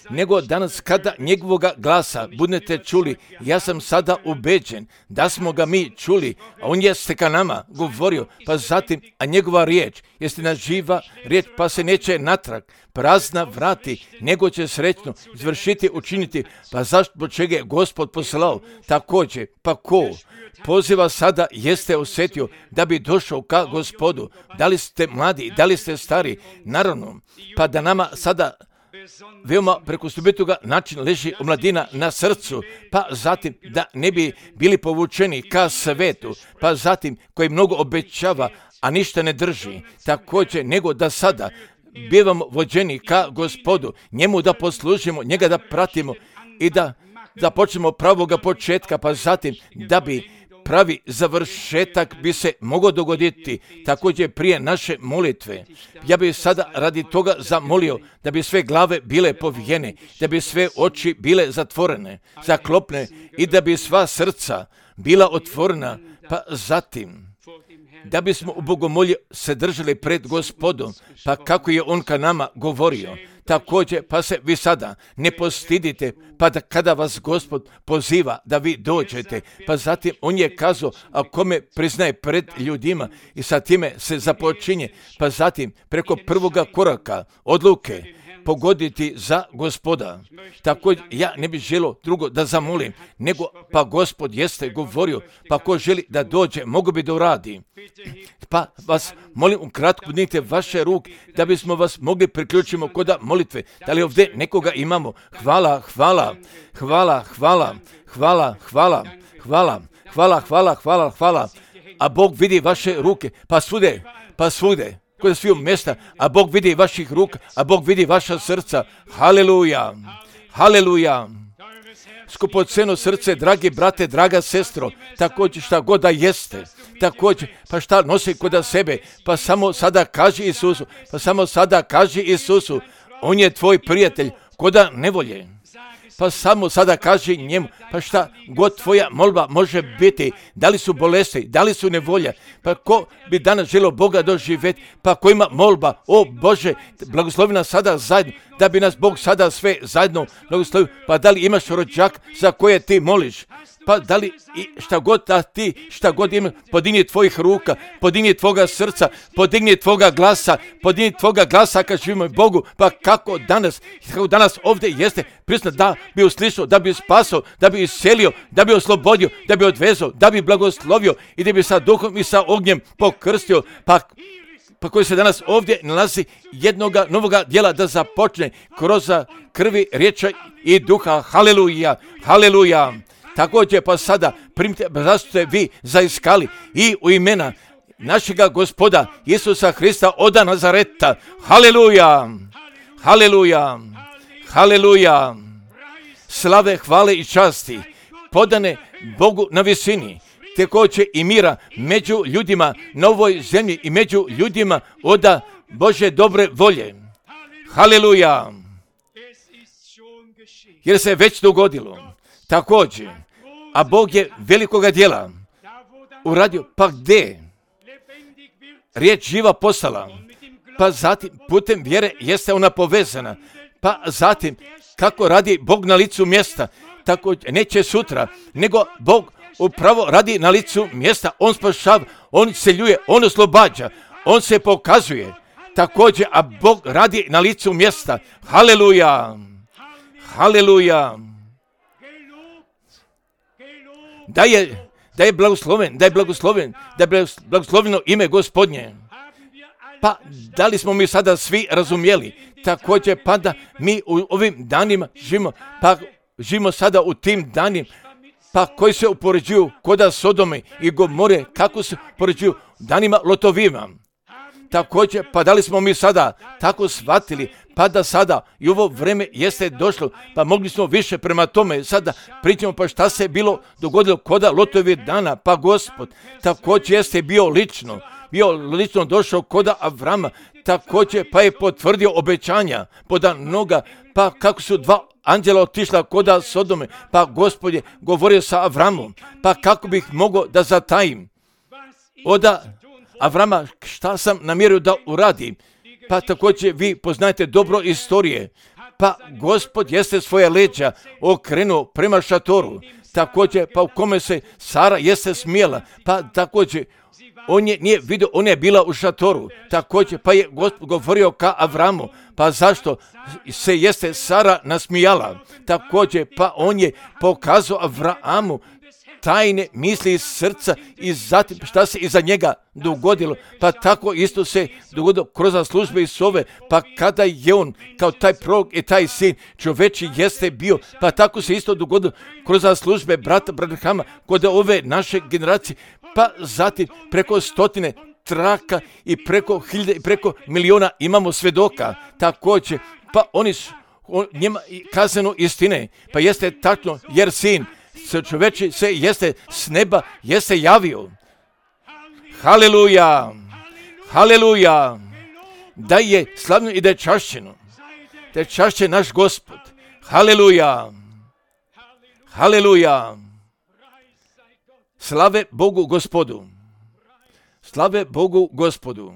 nego danas kada njegovoga glasa budete čuli, ja sam sada ubeđen da smo ga mi čuli, a on jeste ka nama govorio, pa zatim, a njegova riječ, jeste na živa riječ, pa se neće natrag prazna vrati, nego će srećno izvršiti, učiniti, pa zašto čega je Gospod poslao, također, pa ko poziva sada jeste osjetio da bi došao ka Gospodu, da li ste mladi, da li ste stari, naravno, pa da nama sada veoma preko stubitoga način leži omladina na srcu, pa zatim da ne bi bili povučeni ka svetu, pa zatim koji mnogo obećava, a ništa ne drži, također nego da sada bivamo vođeni ka Gospodu, njemu da poslužimo, njega da pratimo i da počnemo pravoga početka, pa zatim da bi pravi završetak bi se mogao dogoditi također prije naše molitve. Ja bih sada radi toga zamolio da bi sve glave bile povijene, da bi sve oči bile zatvorene, zaklopne i da bi sva srca bila otvorena, pa zatim da bismo u bogomolju se držali pred Gospodom, pa kako je on ka nama govorio. Također, pa se vi sada ne postidite, pa da kada vas Gospod poziva da vi dođete, pa zatim on je kazao, a kome priznaje pred ljudima i sa time se započinje, pa zatim preko prvoga koraka odluke pogoditi za Gospoda. Također, ja ne bih želio drugo da zamolim, nego pa Gospod jeste govorio, pa ko želi da dođe, mogu bi da uradi. Pa vas molim ukratko dignite vaše ruke da bismo vas mogli priključiti kod molitve. Da li ovdje nekoga imamo? Hvala, hvala, hvala, hvala, hvala, hvala, hvala, hvala, hvala, hvala, hvala. A Bog vidi vaše ruke, pa svude, kod sviju mjesta, a Bog vidi vaših ruka, a Bog vidi vaša srca. Haleluja, haleluja. Skupoceno srce, dragi brate, draga sestro, također šta god da jeste, također, pa šta nosi kod sebe, pa samo sada kaži Isusu, on je tvoj prijatelj, koda nevolje. Pa samo sada kaži njemu, pa šta god tvoja molba može biti, da li su bolesti, da li su nevolja, pa ko bi danas želio Boga doživjeti, pa ko ima molba, o Bože, blagoslovi nas sada zajedno, da bi nas Bog sada sve zajedno blagoslovio, pa da li imaš rođak za koje ti moliš, pa da li šta god imaš, podigni tvojih ruka, podigni tvoga srca, podigni tvoga glasa kad živimo Bogu, pa kako danas ovdje jeste prisutno da bi uslišao, da bi spasao, da bi iscelio, da bi oslobodio, da bi odvezao, da bi blagoslovio i da bi sa duhom i sa ognjem pokrstio, pa koji se danas ovdje nalazi jednoga novoga djela da započne kroz krvi, riječi i duha. Haleluja, haleluja. Također pa sada primite, zašto ste vi zaiskali i u imena našega Gospoda Isusa Hrista od Nazareta. Haleluja, haleluja, haleluja. Slave, hvale i časti podane Bogu na visini, također i mira među ljudima na ovoj zemlji i među ljudima od Bože dobre volje. Haleluja. Jer se već dogodilo. Također, a Bog je velikoga djela uradio, pa gdje riječ živa postala, pa zatim putem vjere jeste ona povezana, pa zatim kako radi Bog na licu mjesta, tako neće sutra, nego Bog upravo radi na licu mjesta, on spašava, on seljuje, on oslobađa, on se pokazuje, također, a Bog radi na licu mjesta. Haleluja, haleluja. Da je da je blagosloveno ime Gospodnje. Pa da li smo mi sada svi razumjeli? Također pa da mi u ovim danima živimo sada u tim danima, pa koji se upoređuju koda Sodome i Gomore, kako se upoređuju danima Lotovima. Također, pa da li smo mi sada tako shvatili, pa da sada i ovo vreme jeste došlo, pa mogli smo više prema tome sada pričamo, pa šta se bilo dogodilo koda Lotovih dana, pa Gospod također jeste bio lično došao koda Avrama, također pa je potvrdio obećanja poda noga, pa kako su dva anđela otišla koda Sodome, pa Gospod je govorio sa Avramom, pa kako bih mogao da zatajim oda Avrama šta sam namjerio da uradim. Pa također vi poznajete dobro istorije, pa Gospod jeste svoje leđa okrenuo prema šatoru, također pa u kome se Sara jeste smijela, pa također on je nije vidio, ona je bila u šatoru, također pa je Gospod govorio ka Avramu, pa zašto se jeste Sara nasmijala, također pa on je pokazao Avramu tajne misli iz srca i zatim šta se iza njega dogodilo, pa tako isto se dogodilo kroz službe Isove, pa kada je on kao taj prorok i taj sin čoveči jeste bio, pa tako se isto dogodilo kroz službe brata Branhama kod ove naše generacije, pa zatim preko stotine traka i preko hiljade i preko miliona imamo svedoka, također pa oni su njima kazano istine, pa jeste tačno jer sin čoveči se jeste s neba jeste javio. Haleluja, haleluja, da je slavno i da je čašćeno, da je čašćen naš Gospod. Haleluja, haleluja, slave Bogu Gospodu, slave Bogu Gospodu.